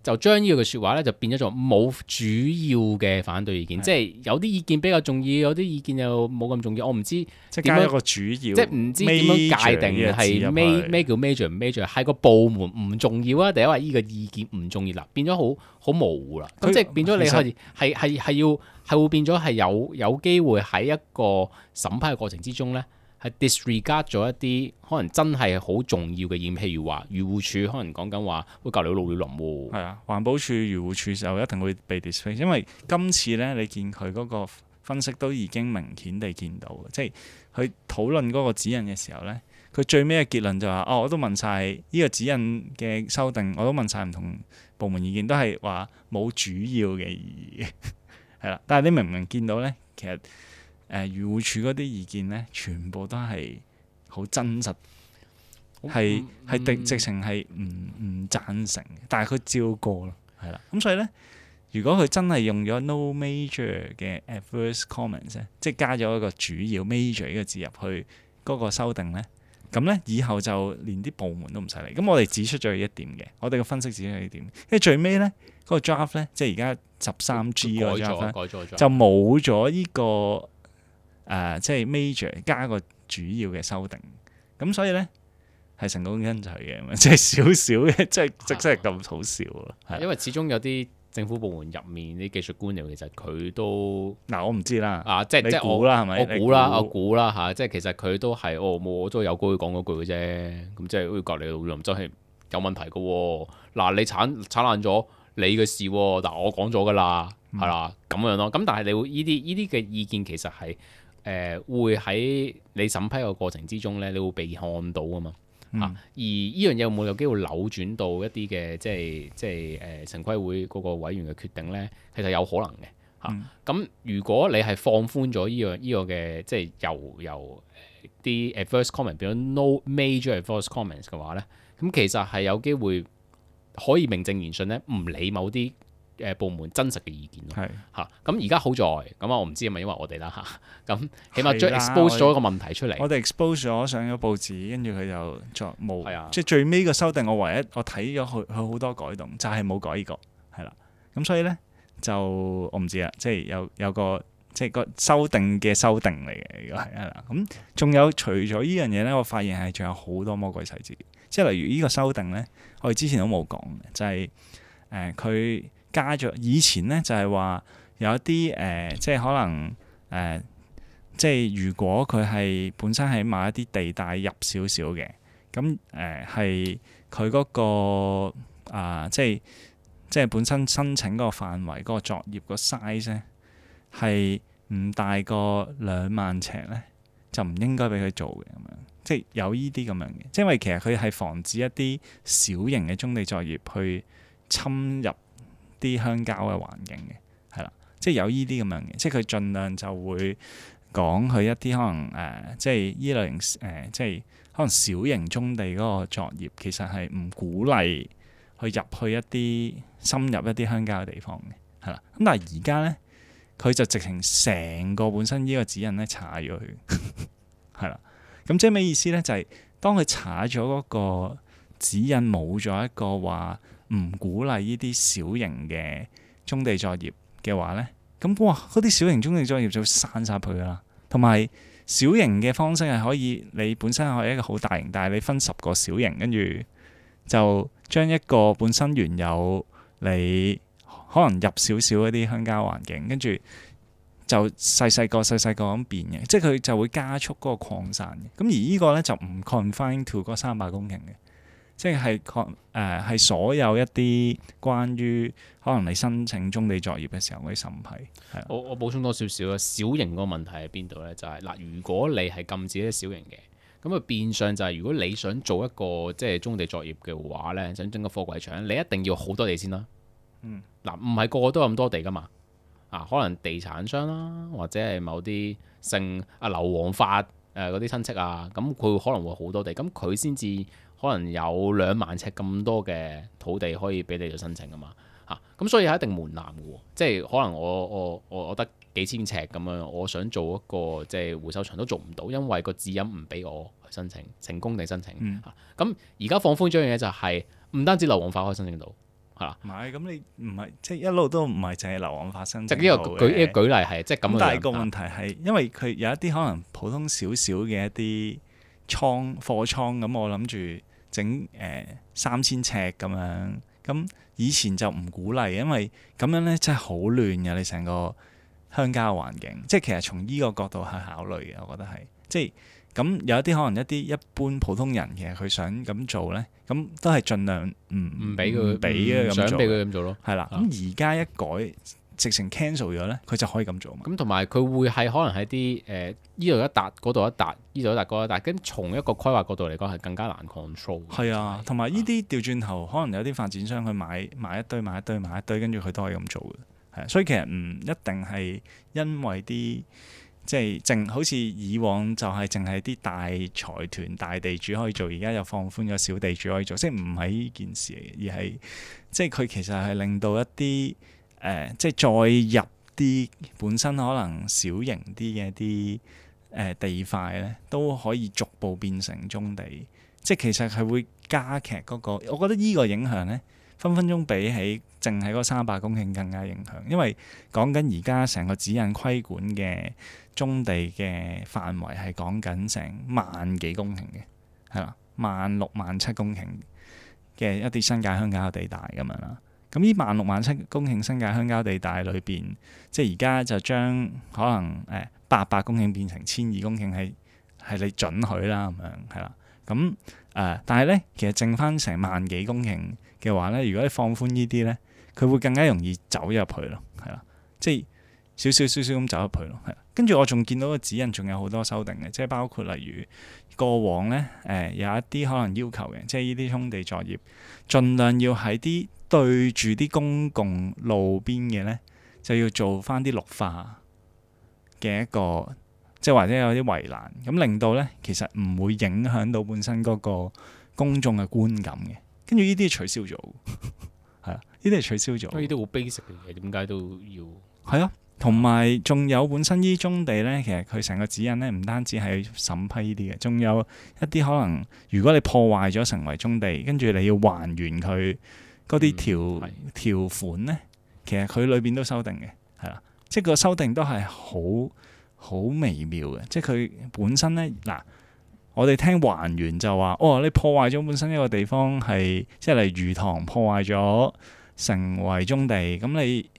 就將呢句説話咧，就變咗做冇主要嘅反對意見，即係有啲意見比較重要，有啲意見又冇咁重要。我唔知即係加一個主要，即係唔知點樣界定係咩咩叫 major 唔 major， 係個部門唔重要啊，定係話呢個意見唔重要啦，變咗好好模糊啦。咁即係變咗你係係係係要係會變咗係有有機會喺一個審批嘅過程之中咧。係 disregard 咗一啲可能真係好重要嘅意見，譬如話漁護署可能講緊話會隔離老鳥林喎。係啊，環保署、漁護署就一定會被 disregard，因為今次咧你見佢嗰個分析都已經明顯地見到嘅，即係佢討論嗰個指引嘅時候咧，佢最尾嘅結論就話、是：哦，我都問晒呢個指引嘅修訂，我都問晒唔同部門意見，都係話冇主要嘅意義，係啦。但係你明唔明見到咧，其實？誒漁護署嗰啲意見咧，全部都係好真實，係係直直情係唔唔贊成嘅，但係佢照過咯，係啦。咁所以咧，如果佢真係用咗 no major 嘅 adverse comments 咧，即係加咗一個主要 major 呢個字入去嗰個修訂咧，咁咧以後就連啲部門都唔使理。咁我哋指出咗一點嘅，我哋嘅分析指出咗一點，因為最尾咧嗰個 draft 咧，即係而家十三 G 嗰個 draft 就冇咗呢個。誒、呃，即係 major 加個主要嘅修訂，咁所以咧係成功因取嘅，即係少少嘅，即係即係咁好笑啊！因為始終有啲政府部門入面啲技術官僚，其實佢都嗱、呃，我唔知啦，啊，即係即係我估啦，係咪？我估啦，我估啦嚇，即係其實佢都係哦，冇我都有句講嗰句嘅啫，咁即係好似隔離老林真係有問題嘅喎。嗱、啊，你鏟鏟爛咗你嘅事喎，但我講咗㗎啦，係啦、嗯，咁樣咯。咁但係你會呢啲呢啲嘅意見其實係。誒、呃、會喺你審批嘅過程之中咧，你會被看到啊嘛，嗯、啊而呢樣嘢有冇有機會扭轉到一啲嘅即係即係誒城規會嗰個委員嘅決定咧？其實有可能嘅嚇。咁、啊嗯、如果你係放寬咗呢、這個依、這個嘅即係由由啲 adverse comment 變咗 no major adverse comments 嘅話咧，咁其實係有機會可以名正言順咧，唔理某啲。誒部門真實嘅意見咯，嚇咁而家好在咁啊，我唔知係咪因為我哋啦嚇，咁起碼將 expose 咗一個問題出嚟。我哋 expose 咗上咗報紙，跟住佢就作冇，的即係最尾個修訂，我唯一我睇咗佢佢好多改動，就係、是、冇改呢、這個係啦。咁所以咧就我唔知啦，即係有有個即係個修訂嘅修訂嚟嘅，如果係係啦。咁仲有除咗呢樣嘢咧，我發現係仲有好多魔鬼細節，即係例如呢個修訂咧，我哋之前都冇講嘅，就係誒佢。呃加咗以前咧就係、是、話有一啲誒、呃，即係可能誒、呃，即係如果佢係本身喺某一啲地帶入少少嘅，咁誒係佢嗰個啊、呃，即係即係本身申請嗰個範圍嗰、嗰個作業個 size 咧係唔大過兩萬尺咧，就唔應該俾佢做嘅咁樣，即係有呢啲咁樣嘅，即係因為其實佢係防止一啲小型嘅棕地作業去侵入啲鄉郊嘅環境嘅，係啦，即係有依啲咁樣嘅，即係佢盡量就會講佢一啲可能誒、呃，即係依類型誒、呃，即係可能小型棕地嗰個作業，其實係唔鼓勵去入去一啲深入一啲鄉郊嘅地方嘅，係啦。咁但係而家咧佢就直情成個本身呢個指引咧查咗佢，係啦。咁即係咩意思咧？就係、是、當佢查咗嗰個指引冇咗一個話唔鼓勵呢啲小型嘅棕地作業嘅話咧，咁哇嗰啲小型棕地作業就會散晒佢噶啦。同埋小型嘅方式係可以，你本身係一個好大型，但係你分十個小型，跟住就將一個本身原有你可能入少少一啲鄉郊環境，跟住就細細個細細個咁變嘅，即係佢就會加速嗰個擴散嘅。咁而呢個咧就唔 confine to 嗰三百公頃嘅，即係係誒係所有一啲關於可能你申請棕地作業嘅時候嗰啲審批。係我我補充多少少啊，小型個問題喺邊度咧？就係、是、嗱，如果你係禁止啲小型嘅，咁啊變相就係如果你想做一個即係棕地作業嘅話咧，想整個貨櫃場，你一定要好多地先啦。嗯，嗱，唔係個個都有咁多地噶嘛。啊，可能地產商啦，或者係某啲姓啊劉皇發誒嗰啲親戚啊，咁佢可能會好多地，咁佢先至可能有兩萬尺咁多嘅土地可以俾你去申請噶嘛。嚇、啊，咁所以係一定門檻嘅喎，即係可能我我我我得幾千尺咁樣，我想做一個即係回收場都做唔到，因為個指引唔俾我去申請成功地申請。嚇、啊，咁而家放寬咗樣嘢就係、是、唔單止劉皇發可以申請到。係啦，唔係咁你唔係即係一路都唔係淨係流往發生。即係呢個舉呢個舉例係即係咁樣。但係個問題係，因為佢有一啲可能普通少少嘅一啲倉貨倉咁，我諗住整誒三千尺咁樣。咁以前就唔鼓勵，因為咁樣咧真係好亂嘅，你成個鄉郊環境。即係其實從呢個角度去考慮嘅，我覺得係即係。咁有一啲可能一啲一般普通人其實佢想咁做咧，咁都係盡量唔唔俾佢俾嘅咁做，想俾佢咁做咯。係啦，咁而家一改，直情 cancel 咗咧，佢就可以咁做嘛。咁同埋佢會係可能喺啲誒依度一笪，嗰度一笪，依度一笪，嗰一笪，跟從一個規劃角度嚟講係更加難 control。係啊，同埋呢啲調轉頭，可能有啲發展商去買買一堆買一堆買一堆，跟住佢都可以咁做嘅。係啊，所以其實唔一定係因為啲。即係淨好似以往就係淨係啲大財團大地主可以做，而家又放寬咗小地主可以做，即係唔係呢件事嚟嘅，而係即係佢其實係令到一啲誒、呃，即係再入啲本身可能小型啲嘅一啲誒、呃、地塊咧，都可以逐步變成棕地，即係其實係會加劇嗰個。我覺得呢個影響咧，分分鐘比起淨係嗰三百公頃更加影響，因為講緊而家成個指引規管嘅棕地嘅範圍係講緊成萬幾公頃嘅，係啦，萬六萬七公頃嘅一啲新界鄉郊地帶咁樣啦。咁呢萬六萬七公頃新界鄉郊地帶裏邊，即係而家就將可能誒八百公頃變成千二公頃，係係你准許啦咁樣，係啦。咁誒、呃，但係咧，其實剩翻成萬幾公頃嘅話咧，如果你放寬呢啲咧，佢會更加容易走入去咯，係啦，即係少少少少咁走入去咯，係。跟住我仲見到個指引仲有好多修訂嘅，即係包括例如過往咧誒、呃、有一啲可能要求嘅，即係呢啲棕地作業，盡量要喺啲對住啲公共路邊嘅咧，就要做翻啲綠化嘅一個。即係或者有啲圍欄，咁令到咧其實唔會影響到本身嗰個公眾嘅觀感嘅。跟住呢啲取消咗，係啊，呢啲係取消咗。呢啲好 basic 嘅嘢，點解都要？係啊，同埋仲有本身呢棕地咧，其實佢成個指引咧，唔單止係審批呢啲嘅，仲有一啲可能，如果你破壞咗成為棕地，跟住你要還原佢嗰啲條、嗯、條款咧，其實佢裏邊都修訂嘅，係啦，即係個修訂都係好。好微妙嘅，即係佢本身咧嗱，我哋聽還原就話，哦，你破壞咗本身一個地方係，即係例如魚塘破壞咗成為棕地，咁你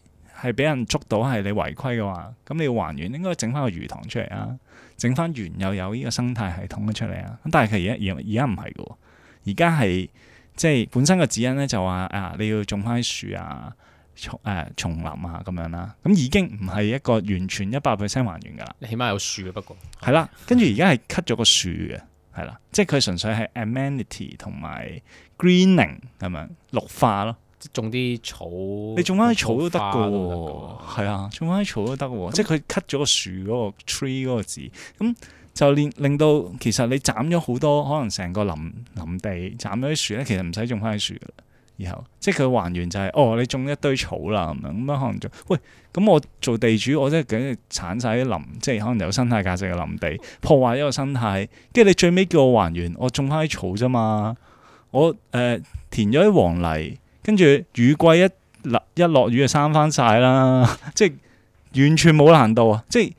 係俾人捉到係你違規嘅話，咁你要還原，應該整翻個魚塘出嚟啊，整翻原又有呢個生態系統嘅出嚟啊，咁但係佢而家而而家唔係嘅，而家係即係本身個指引咧就話啊，你要種翻啲樹啊。叢誒叢林啊咁樣啦，咁已經唔係一個完全一百 percent 還原㗎啦。你起碼有樹嘅，不過係啦，跟住而家係 cut 咗個樹嘅，係啦，即係佢純粹係 amenity 同埋 greening 咁樣綠化咯，即係種啲草。你種翻啲草都得㗎喎，係啊，種翻啲草都得喎，即係佢 cut 咗個樹嗰個 tree 嗰個字，咁就令令到其實你斬咗好多可能成個林林地斬咗啲樹咧，其實唔使種翻啲樹㗎啦。以後即係佢還原就係、是、哦，你種一堆草啦咁樣，咁樣可能就喂，咁我做地主，我即係梗係鏟晒啲林，即係可能有生態價值嘅林地，破壞一個生態，跟住你最尾叫我還原，我種翻啲草啫嘛，我誒、呃、填咗啲黃泥，跟住雨季一落一落雨就生翻晒啦，即係完全冇難度啊！即係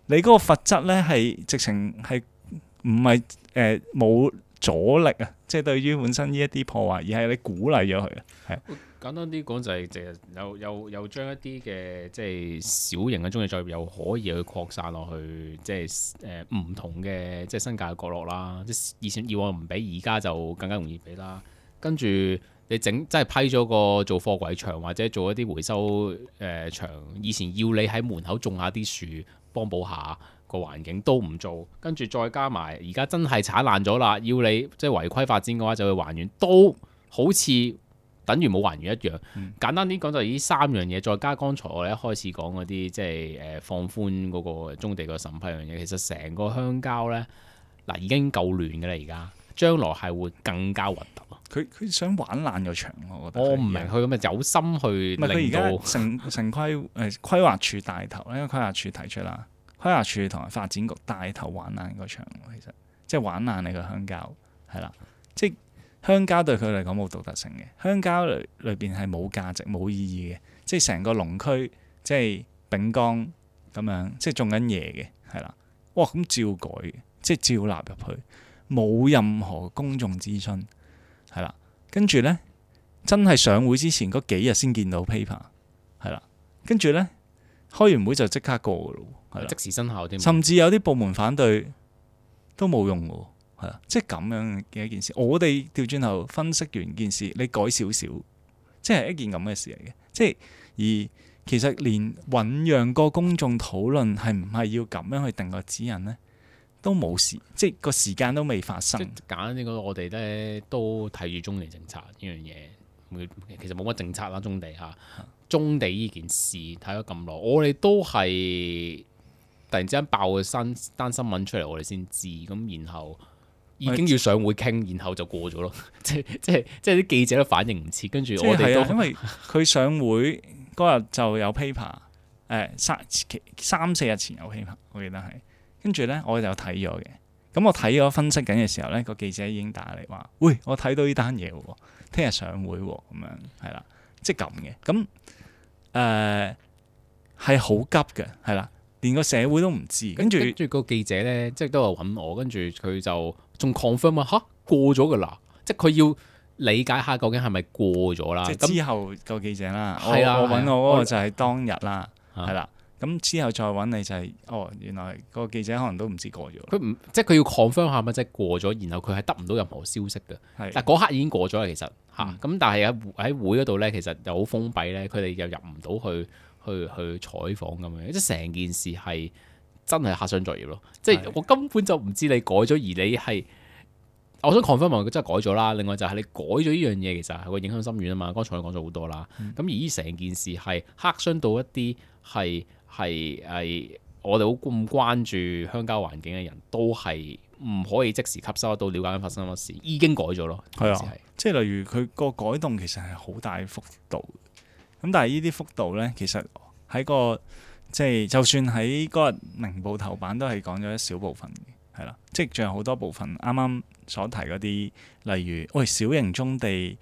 你嗰個罰則咧係直情係唔係誒冇阻力啊！即係對於本身呢一啲破壞，而係你鼓勵咗佢啊，係簡單啲講就係淨係有有有將一啲嘅即係小型嘅棕地作業又可以去擴散落去，即係誒唔同嘅即係新界嘅角落啦。即係以前以往唔俾，而家就更加容易俾啦。跟住你整即係批咗個做貨櫃場或者做一啲回收誒、呃、場，以前要你喺門口種下啲樹幫補下個環境都唔做，跟住再加埋而家真係鏟爛咗啦，要你即係違規發展嘅話就去還原，都好似等於冇還原一樣。嗯、簡單啲講就係呢三樣嘢，再加剛才我哋一開始講嗰啲即係誒放寬嗰個棕地個審批樣嘢，其實成個鄉郊呢，嗱已經夠亂嘅啦，而家將來係會更加核突。佢佢想玩爛個場，我覺得。我唔明佢咁嘅有心去令到。佢而家城城規誒、呃、規劃署帶頭咧，因為規劃署提出啦，規劃署同埋發展局帶頭玩爛個場，其實即係玩爛你個鄉郊係啦，即係鄉郊對佢嚟講冇獨特性嘅，鄉郊裏裏邊係冇價值冇意義嘅，即係成個農區即係丙江咁樣，即係種緊嘢嘅係啦，哇咁照改嘅，即係照納入去，冇任何公眾諮詢。係啦，跟住咧，真係上會之前嗰幾日先見到 paper， 係啦，跟住咧開完會就即刻過噶咯，係啦，即時生效添，甚至有啲部門反對都冇用嘅，係啦，即係咁樣嘅一件事。我哋調轉頭分析完件事，你改少少，即係一件咁嘅事嚟嘅。即係而其實連醖釀個公眾討論係唔係要咁樣去定個指引咧？都冇事，即係個時間都未發生。即係簡單啲講，我哋咧都睇住棕地政策呢樣嘢，其實冇乜政策啦，棕地嚇，棕地呢件事睇咗咁耐，我哋都係突然之間爆個新單新聞出嚟，我哋先知，咁然後已經要上會傾，然後就過咗咯。即即係即係啲記者都反應唔切，跟住我哋都、啊、因為佢上會嗰日就有 paper，誒、呃、三三四日前有 paper，我記得係。跟住咧，我就睇咗嘅。咁我睇咗分析緊嘅時候咧，個記者已經打嚟話：喂，我睇到呢單嘢喎，聽日上會喎，咁樣係啦，即係咁嘅。咁誒係好急嘅，係啦，連個社會都唔知。跟住，跟住個記者咧，即係都有揾我，跟住佢就仲 confirm 啊，嚇過咗噶啦，即係佢要理解下究竟係咪過咗啦。即係之後個記者啦，係啦，我揾我嗰個就係當日啦，係啦。咁之後再揾你就係、是，哦，原來個記者可能都唔知過咗。佢唔即係佢要 confirm 下乜，即係過咗，然後佢係得唔到任何消息嘅。係，但嗰刻已經過咗啦，其實嚇。咁、嗯嗯、但係喺喺會嗰度咧，其實又好封閉咧，佢哋又入唔到去去去採訪咁樣，即係成件事係真係黑箱作業咯。即係我根本就唔知你改咗，而你係我想 confirm 話佢真係改咗啦。另外就係你改咗呢樣嘢，其實係個影響深遠啊嘛。剛才我講咗好多啦。咁、嗯、而呢成件事係黑箱到一啲係。係係，我哋好咁關注鄉郊環境嘅人都係唔可以即時吸收得到，了解緊發生乜事，已經改咗咯。係啊，即係例如佢個改動其實係好大幅度，咁但係呢啲幅度咧，其實喺個即係就算喺嗰日明報頭版都係講咗一小部分嘅，係啦，即係仲有好多部分啱啱所提嗰啲，例如喂小型棕地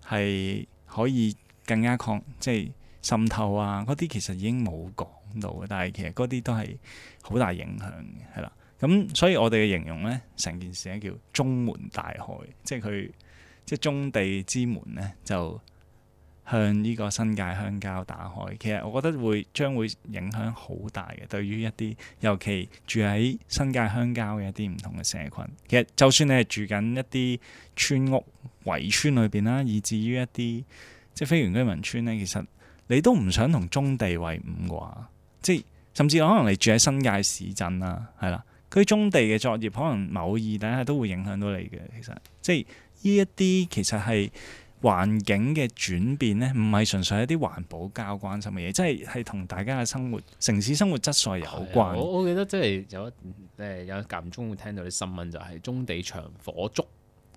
係可以更加抗即係滲透啊，嗰啲其實已經冇講到嘅，但係其實嗰啲都係好大影響嘅，係啦。咁所以我哋嘅形容咧，成件事咧叫棕門大開，即係佢即係棕地之門咧，就向呢個新界鄉郊打開。其實我覺得會將會影響好大嘅，對於一啲尤其住喺新界鄉郊嘅一啲唔同嘅社群。其實就算你係住緊一啲村屋圍村裏邊啦，以至於一啲即係非原居民村咧，其實你都唔想同棕地為伍啩。即係甚至可能你住喺新界市鎮啦，係啦，佢棕地嘅作業可能某意底下都會影響到你嘅。其實即係呢一啲其實係環境嘅轉變咧，唔係純粹一啲環保交關心嘅嘢，即係係同大家嘅生活、城市生活質素有關。我我記得即係有誒有間唔中會聽到啲新聞，就係棕地場火燭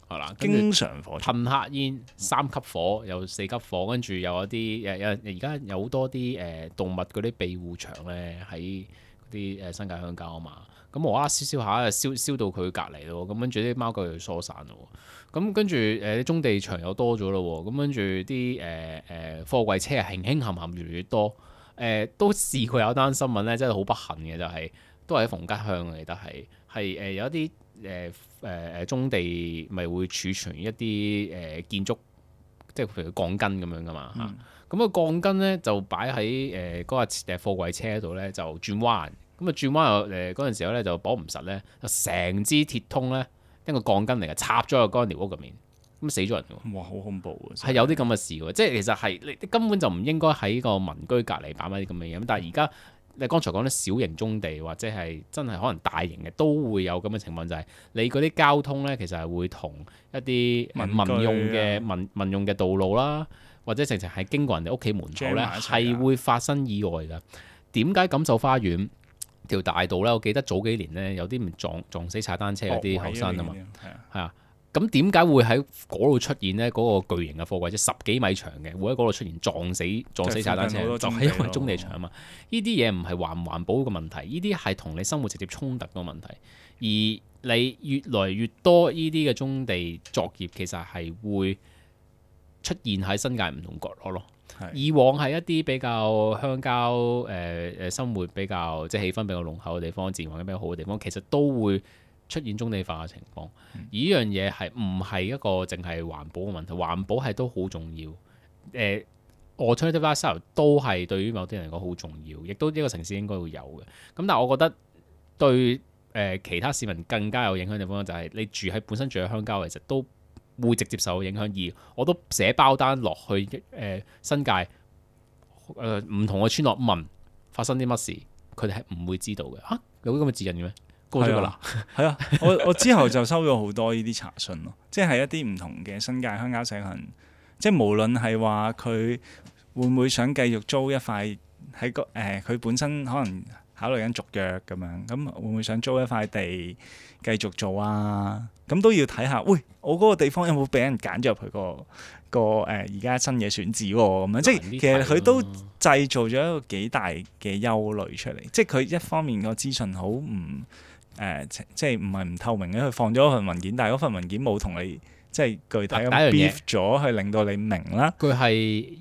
係啦，經常火噴黑煙三級火又四級火，跟住又有啲誒有而家有好多啲誒、呃、動物嗰啲庇護場咧喺嗰啲誒新界鄉郊啊嘛，咁無啦啦燒燒下燒燒到佢隔離咯，咁跟住啲貓狗又疏散咯，咁跟住誒啲棕地場又多咗咯，咁跟住啲誒誒貨櫃車係輕輕冚冚越嚟越多，誒、呃、都試過有單新聞咧，真係好不幸嘅就係、是、都係喺逢吉鄉嚟，但係係誒有一啲。誒誒誒，棕地咪會儲存一啲誒、呃、建築，即係譬如鋼筋咁樣噶嘛嚇。咁個、嗯、鋼筋咧就擺喺誒嗰個誒貨櫃車度咧就轉彎，咁啊轉彎又誒嗰陣時候咧就綁唔實咧，就成支鐵通咧一個鋼筋嚟嘅插咗入嗰間寮屋入面，咁死咗人㗎。哇！好恐怖啊！係有啲咁嘅事㗎，即係其實係你根本就唔應該喺個民居隔離擺埋啲咁嘅嘢。咁但係而家。你剛才講啲小型棕地或者係真係可能大型嘅都會有咁嘅情況，就係、是、你嗰啲交通咧，其實係會同一啲民用嘅民民用嘅道路啦，或者直情係經過人哋屋企門口咧，係會發生意外㗎。點解錦繡花園條大道咧？我記得早幾年咧有啲唔撞撞死踩單車嗰啲後生啊嘛，係啊。咁點解會喺嗰度出現呢？嗰、那個巨型嘅貨櫃車十幾米長嘅，會喺嗰度出現撞死撞死踩單車，就係因為棕地場啊嘛。呢啲嘢唔係環唔環保嘅問題，呢啲係同你生活直接衝突嘅問題。而你越來越多呢啲嘅棕地作業，其實係會出現喺新界唔同角落咯。是以往係一啲比較鄉郊誒誒、呃、生活比較即係氣氛比較濃厚嘅地方，自然環境比較好嘅地方，其實都會出現棕地化嘅情況，而呢樣嘢係唔係一個淨係環保嘅問題？環保係都好重要。誒，alternative lifestyle都係對於某啲人嚟講好重要，亦都呢個城市應該會有嘅。咁但係我覺得對誒、呃、其他市民更加有影響嘅地方就係你住喺本身住喺鄉郊，其實都會直接受影響。而我都寫包單落去誒、呃、新界誒唔、呃、同嘅村落問發生啲乜事，佢哋係唔會知道嘅。嚇、啊，有啲咁嘅指引嘅咩？過咗㗎啦，係啊！我我之後就收咗好多呢啲查詢咯，即係一啲唔同嘅新界鄉郊社群，即係無論係話佢會唔會想繼續租一塊喺個誒，佢、呃、本身可能考慮緊續約咁樣，咁會唔會想租一塊地繼續做啊？咁都要睇下，喂，我嗰個地方有冇俾人揀咗入去個個誒而家新嘅選址喎？咁樣即係其實佢都製造咗一個幾大嘅憂慮出嚟，即係佢一方面個資訊好唔〜誒、呃、即係唔係唔透明嘅，佢放咗份文件，但係嗰份文件冇同你即係具體咁 brief 咗，去令到你明啦。佢係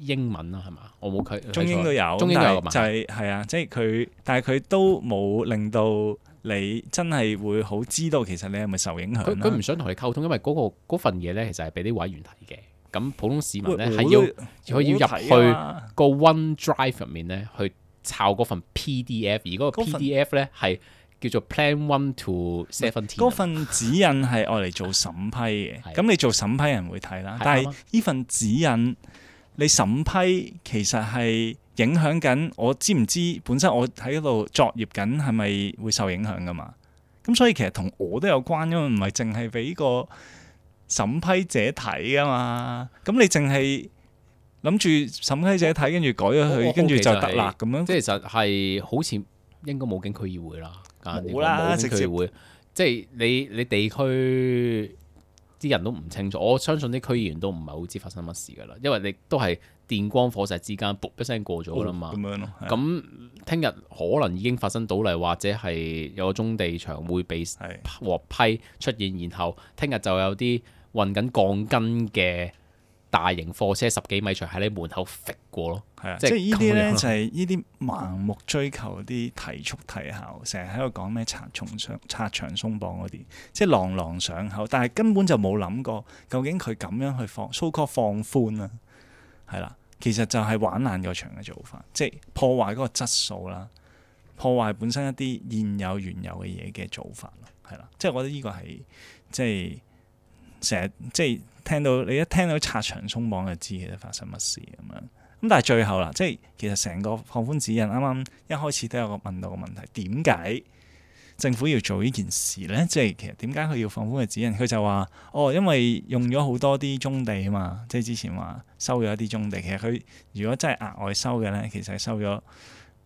英文啦，係嘛？我冇佢中英都有，中英都有嘛？就係係啊，即係佢，但係佢都冇令到你真係會好知道其實你係咪受影響。佢佢唔想同你溝通，因為嗰、嗰個嗰份嘢咧，其實係俾啲委員睇嘅。咁普通市民咧係要佢要入去個 OneDrive 入面咧去抄嗰份 P D F，而嗰個 P D F 咧係。叫做 Plan One to Seventeen。嗰份指引係愛嚟做審批嘅，咁的你做審批人會睇啦。的但係呢份指引你審批其實係影響緊我知唔知本身我喺嗰度作業緊係咪會受影響噶嘛？咁所以其實同我都有關，因為唔係淨係俾個審批者睇噶嘛。咁你淨係諗住審批者睇，跟住改咗佢，跟住就得啦咁樣。即係其實係好似應該冇經區議會啦。冇啦，直接會即係你你地區啲人都唔清楚，我相信啲區議員都唔係好知發生乜事噶啦，因為你都係電光火石之間，噗一聲過咗啦嘛。咁、哦、樣咯。咁聽日可能已經發生倒例，或者係有個棕地場會被獲批出現，然後聽日就有啲運緊鋼筋嘅大型貨車十幾米長喺你門口揈過咯。係啊，即係呢啲咧就係呢啲盲目追求啲提速提效，成日喺度講咩拆牆鬆拆牆鬆綁嗰啲，即係朗朗上口，但係根本就冇諗過究竟佢咁樣去放 so called 放寬啊，係啦，其實就係玩爛個牆嘅做法，即係破壞嗰個質素啦，破壞本身一啲現有原有嘅嘢嘅做法咯，係啦，即係我覺得呢個係即係成日即係聽到你一聽到拆牆鬆綁就知其實發生乜事咁樣。咁但係最後啦，即係其實成個放寬指引，啱啱一開始都有個問到個問題，點解政府要做呢件事咧？即係其實點解佢要放寬嘅指引？佢就話哦，因為用咗好多啲棕地啊嘛，即係之前話收咗一啲棕地，其實佢如果真係額外收嘅咧，其實係收咗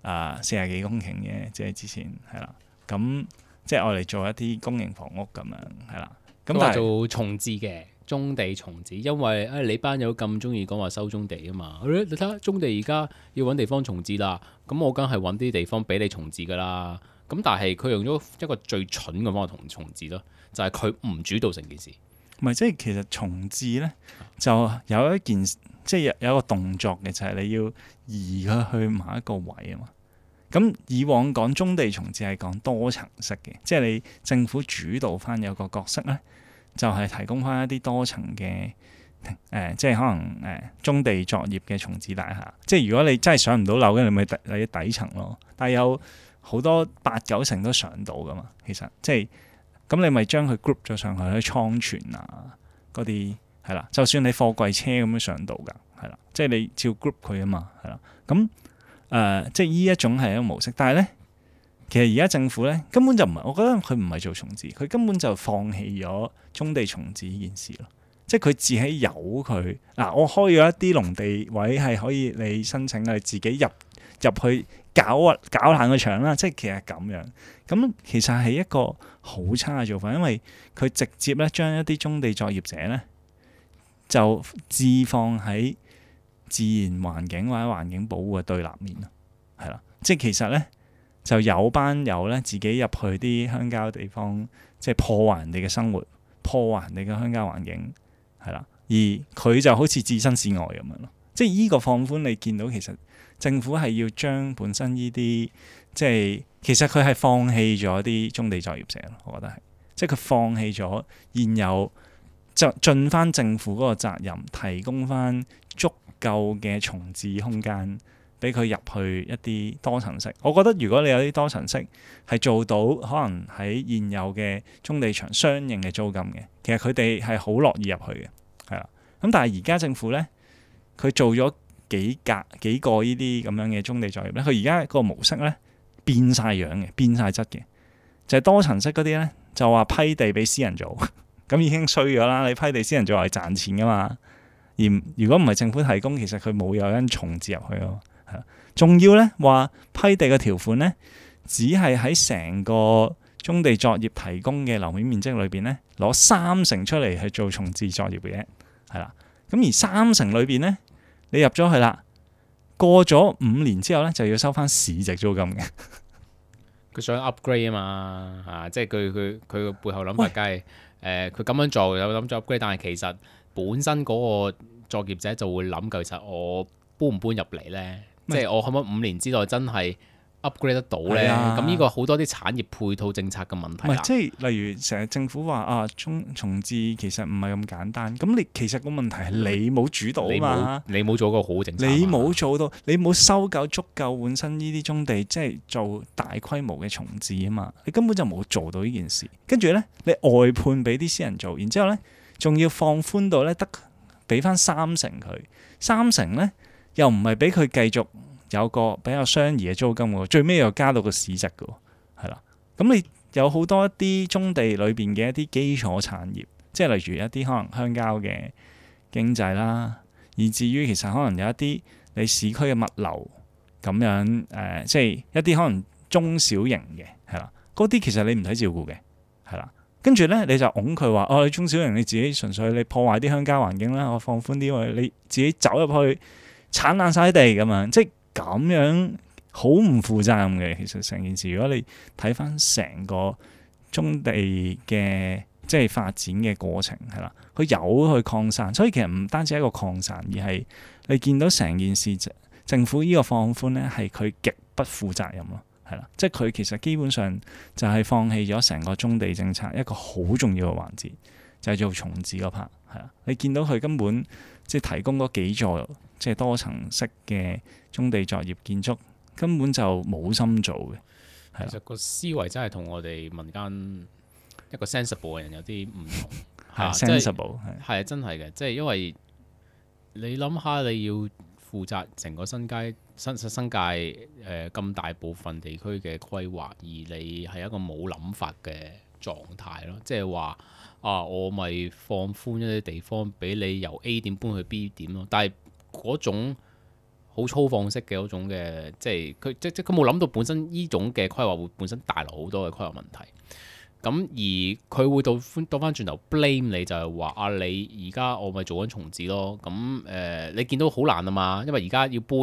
啊四十幾公頃嘅，即係之前係啦，咁即係我嚟做一啲公營房屋咁樣係啦，咁佢話但係做重置嘅棕地重置，因為誒、哎、你班友咁中意講話收棕地啊嘛，你睇下棕地而家要揾地方重置啦，咁我梗係揾啲地方俾你重置噶啦。咁但係佢用咗一個最蠢嘅方法同重置咯，就係佢唔主導成件事。唔係即係其實重置咧就有一件即係有有一個動作嘅，就係、是、你要移佢去某一個位啊嘛。咁以往講棕地重置係講多層式嘅，即係你政府主導翻有個角色咧，就係、是、提供翻一啲多層嘅誒、呃，即係可能誒棕地作業嘅重置大廈。即係如果你真係上唔到樓嘅，你咪底你底層咯。但係有好多八九成都上到噶嘛，其實即係咁你咪將佢 group 咗上去喺倉存啊嗰啲係啦，就算你貨櫃車咁樣上到㗎，係啦，即係你照 group 佢啊嘛，係啦，咁誒、呃、即係呢一種係一個模式，但係咧其實而家政府咧根本就唔係，我覺得佢唔係做重置，佢根本就放棄咗棕地重置呢件事咯，即係佢自己由佢嗱，我開咗一啲農地位係可以你申請你自己入入去。搞啊搞爛個場啦，即係其實咁樣，咁其實係一個好差嘅做法，因為佢直接咧將一啲棕地作業者咧就置放喺自然環境或者環境保護嘅對立面咯，係啦，即係其實咧就有班友咧自己入去啲鄉郊地方，即係破壞人哋嘅生活，破壞人哋嘅鄉郊環境，係啦，而佢就好似置身事外咁樣咯，即係依個放寬你見到其實。政府係要將本身呢啲即係其實佢係放棄咗啲棕地作業者咯，我覺得係，即係佢放棄咗現有就盡翻政府嗰個責任，提供翻足夠嘅重置空間俾佢入去一啲多層式。我覺得如果你有啲多層式係做到可能喺現有嘅棕地場相應嘅租金嘅，其實佢哋係好樂意入去嘅，係啦。咁但係而家政府咧，佢做咗。幾格幾個呢啲咁樣嘅棕地作業咧，佢而家個模式咧變晒樣嘅，變晒質嘅，就係、是、多層式嗰啲咧就話批地俾私人做，咁已經衰咗啦。你批地私人做係賺錢噶嘛，而如果唔係政府提供，其實佢冇有人重置入去咯，係仲要咧話批地嘅條款咧，只係喺成個棕地作業提供嘅樓面面積裏邊咧攞三成出嚟去做重置作業嘅啫，係啦。咁而三成裏邊咧。你入咗去啦，過咗五年之後咧，就要收翻市值租金嘅。佢想 upgrade 啊嘛，啊，即係佢佢佢個背後諗法，梗係誒佢咁樣做有諗住 upgrade，但係其實本身嗰個作業者就會諗，其實我搬唔搬入嚟咧？即係我可唔可以五年之內真係 upgrade 得到咧？咁呢個好多啲產業配套政策嘅問題啦。即係例如成日政府話啊，重重置其實唔係咁簡單。咁你其實個問題係你冇主導啊嘛，你冇做個好政策，你冇做到，你冇收夠足夠本身呢啲棕地，即係做大規模嘅重置啊嘛。你根本就冇做到呢件事。跟住咧，你外判俾啲私人做，然之後咧，仲要放寬到咧得俾翻三成佢，三成咧又唔係俾佢繼續。有個比較相宜嘅租金喎，最尾又加到個市值嘅喎，係啦。咁你有好多一啲棕地裏邊嘅一啲基礎產業，即係例如一啲可能鄉郊嘅經濟啦，以至於其實可能有一啲你市區嘅物流咁樣誒、呃，即係一啲可能中小型嘅係啦，嗰啲其實你唔使照顧嘅係啦。跟住咧你就拱佢話哦，你中小型你自己純粹你破壞啲鄉郊環境啦，我放寬啲，你自己走入去剷爛晒地咁樣，即係。咁樣好唔負責任嘅，其實成件事。如果你睇翻成個棕地嘅即係發展嘅過程，係啦，佢有去擴散，所以其實唔單止係一個擴散，而係你見到成件事政府呢個放寬咧，係佢極不負責任咯，係啦，即係佢其實基本上就係放棄咗成個棕地政策一個好重要嘅環節，就係、是、做重置嗰 part，係啦，你見到佢根本即係提供嗰幾座。即係多層式嘅棕地作業建築，根本就冇心做嘅。其實個思維真係同我哋民間一個 sensible 嘅人有啲唔同。係 sensible 係係真係嘅，即係因為你諗下，你要負責成個新界新新界誒咁大部分地區嘅規劃，而你係一個冇諗法嘅狀態咯。即係話啊，我咪放寬一啲地方俾你由 A 點搬去 B 點咯，但係嗰種好粗放式嘅嗰種嘅，即係佢即即佢冇諗到本身呢種嘅規劃會本身帶來好多嘅規劃問題。咁而佢會倒倒翻轉頭 blame 你，就係話啊，你而家我咪做緊重置咯。咁誒、呃，你見到好難啊嘛，因為而家要搬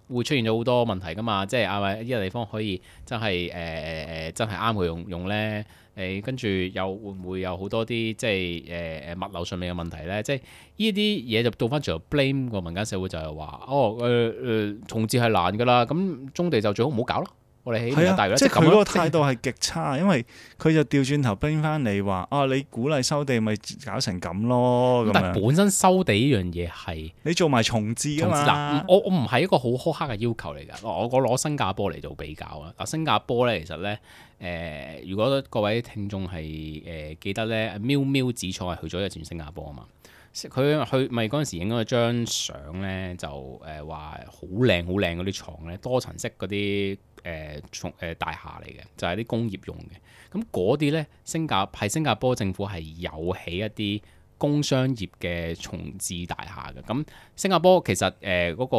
會出現咗好多問題噶嘛，即係啊咪呢個地方可以真係誒誒誒真係啱佢用用咧。誒跟住又會唔會有好多啲即係誒誒物流上面嘅問題咧？即係呢啲嘢就倒翻轉頭 blame 個民間社會，就係話哦誒誒、呃、重置係難㗎啦，咁棕地就最好唔好搞咯。我哋起明日大嶼，即係佢嗰個態度係極差，因為佢就調轉頭冰翻你話啊，你鼓勵收地咪搞成咁咯。咁但係本身收地呢樣嘢係你做埋重置㗎嘛。我我唔係一個好苛刻嘅要求嚟㗎。我我攞新加坡嚟做比較啊。嗱，新加坡咧其實咧誒、呃，如果各位聽眾係誒、呃、記得咧，喵喵子廠係去咗一轉新加坡啊嘛。佢去咪嗰陣時影咗張相咧，就誒話好靚好靚嗰啲廠咧，多層式嗰啲誒重誒大廈嚟嘅，就係、是、啲工業用嘅。咁嗰啲咧，新加係新加坡政府係有起一啲工商業嘅重置大廈嘅。咁新加坡其實誒嗰、呃那個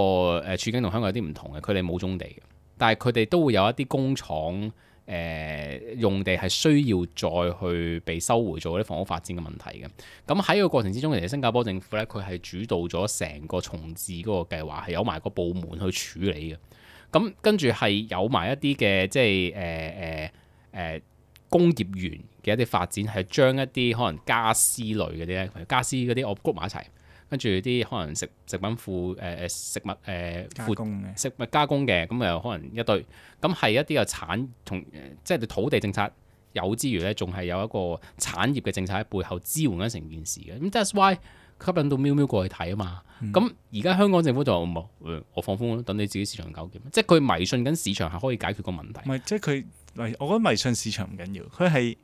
誒處境同香港有啲唔同嘅，佢哋冇棕地嘅，但係佢哋都會有一啲工廠。誒、呃、用地係需要再去被收回做啲房屋發展嘅問題嘅。咁喺個過程之中，其實新加坡政府咧，佢係主導咗成個重置嗰個計劃，係有埋個部門去處理嘅。咁跟住係有埋一啲嘅即係誒誒誒工業園嘅一啲發展，係將一啲可能家私類嗰啲咧，家私嗰啲我 group 埋一齊。跟住啲可能食食品庫誒誒食物誒、呃、加工嘅食物加工嘅，咁又可能一堆，咁係一啲嘅產同即係土地政策有之餘咧，仲係有一個產業嘅政策喺背後支援緊成件事嘅。咁 that's why 吸引到喵喵過去睇啊嘛。咁而家香港政府就冇、嗯，我放風等你自己市場搞掂。即係佢迷信緊市場係可以解決個問題。唔係，即係佢，我覺得迷信市場唔緊要，佢係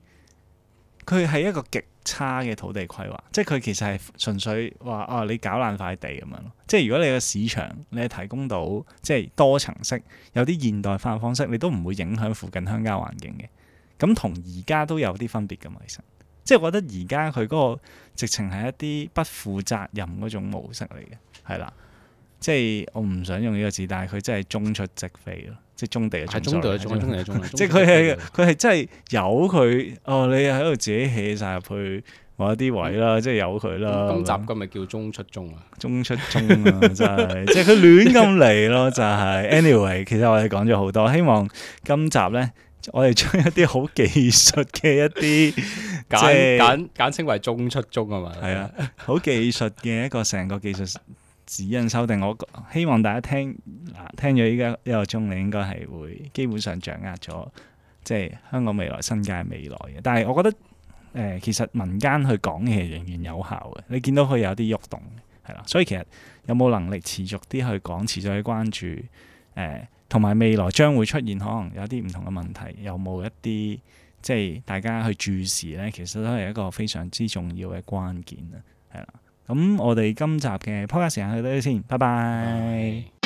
佢係一個極差嘅土地規劃，即係佢其實係純粹話啊，你搞爛塊地咁樣咯。即係如果你個市場你係提供到即係多層式，有啲現代化嘅方式，你都唔會影響附近鄉郊環境嘅。咁同而家都有啲分別㗎嘛，其實。即係我覺得而家佢嗰個直情係一啲不負責任嗰種模式嚟嘅，係啦。即係我唔想用呢個字，但係佢真係中出即飛咯，即係中地嘅中，中地嘅中，中地嘅中。即係佢係佢係真係由佢哦，你喺度自己起晒入去某一啲位啦，即係由佢啦。今集今日叫中出中啊，中出中啊，真係即係佢亂咁嚟咯，就係。anyway， 其實我哋講咗好多，希望今集咧，我哋將一啲好技術嘅一啲簡簡簡稱為中出中啊嘛。係啊，好技術嘅一個成個技術指引修訂，我希望大家聽嗱聽咗依家一個鐘，你應該係會基本上掌握咗，即係香港未來新界未來嘅。但係我覺得誒、呃，其實民間去講嘅仍然有效嘅。你見到佢有啲喐動，係啦。所以其實有冇能力持續啲去講，持續去關注誒，同、呃、埋未來將會出現可能有啲唔同嘅問題，有冇一啲即係大家去注視咧？其實都係一個非常之重要嘅關鍵啊，係啦。咁我哋今集嘅 podcast 時間去到呢度先，拜拜。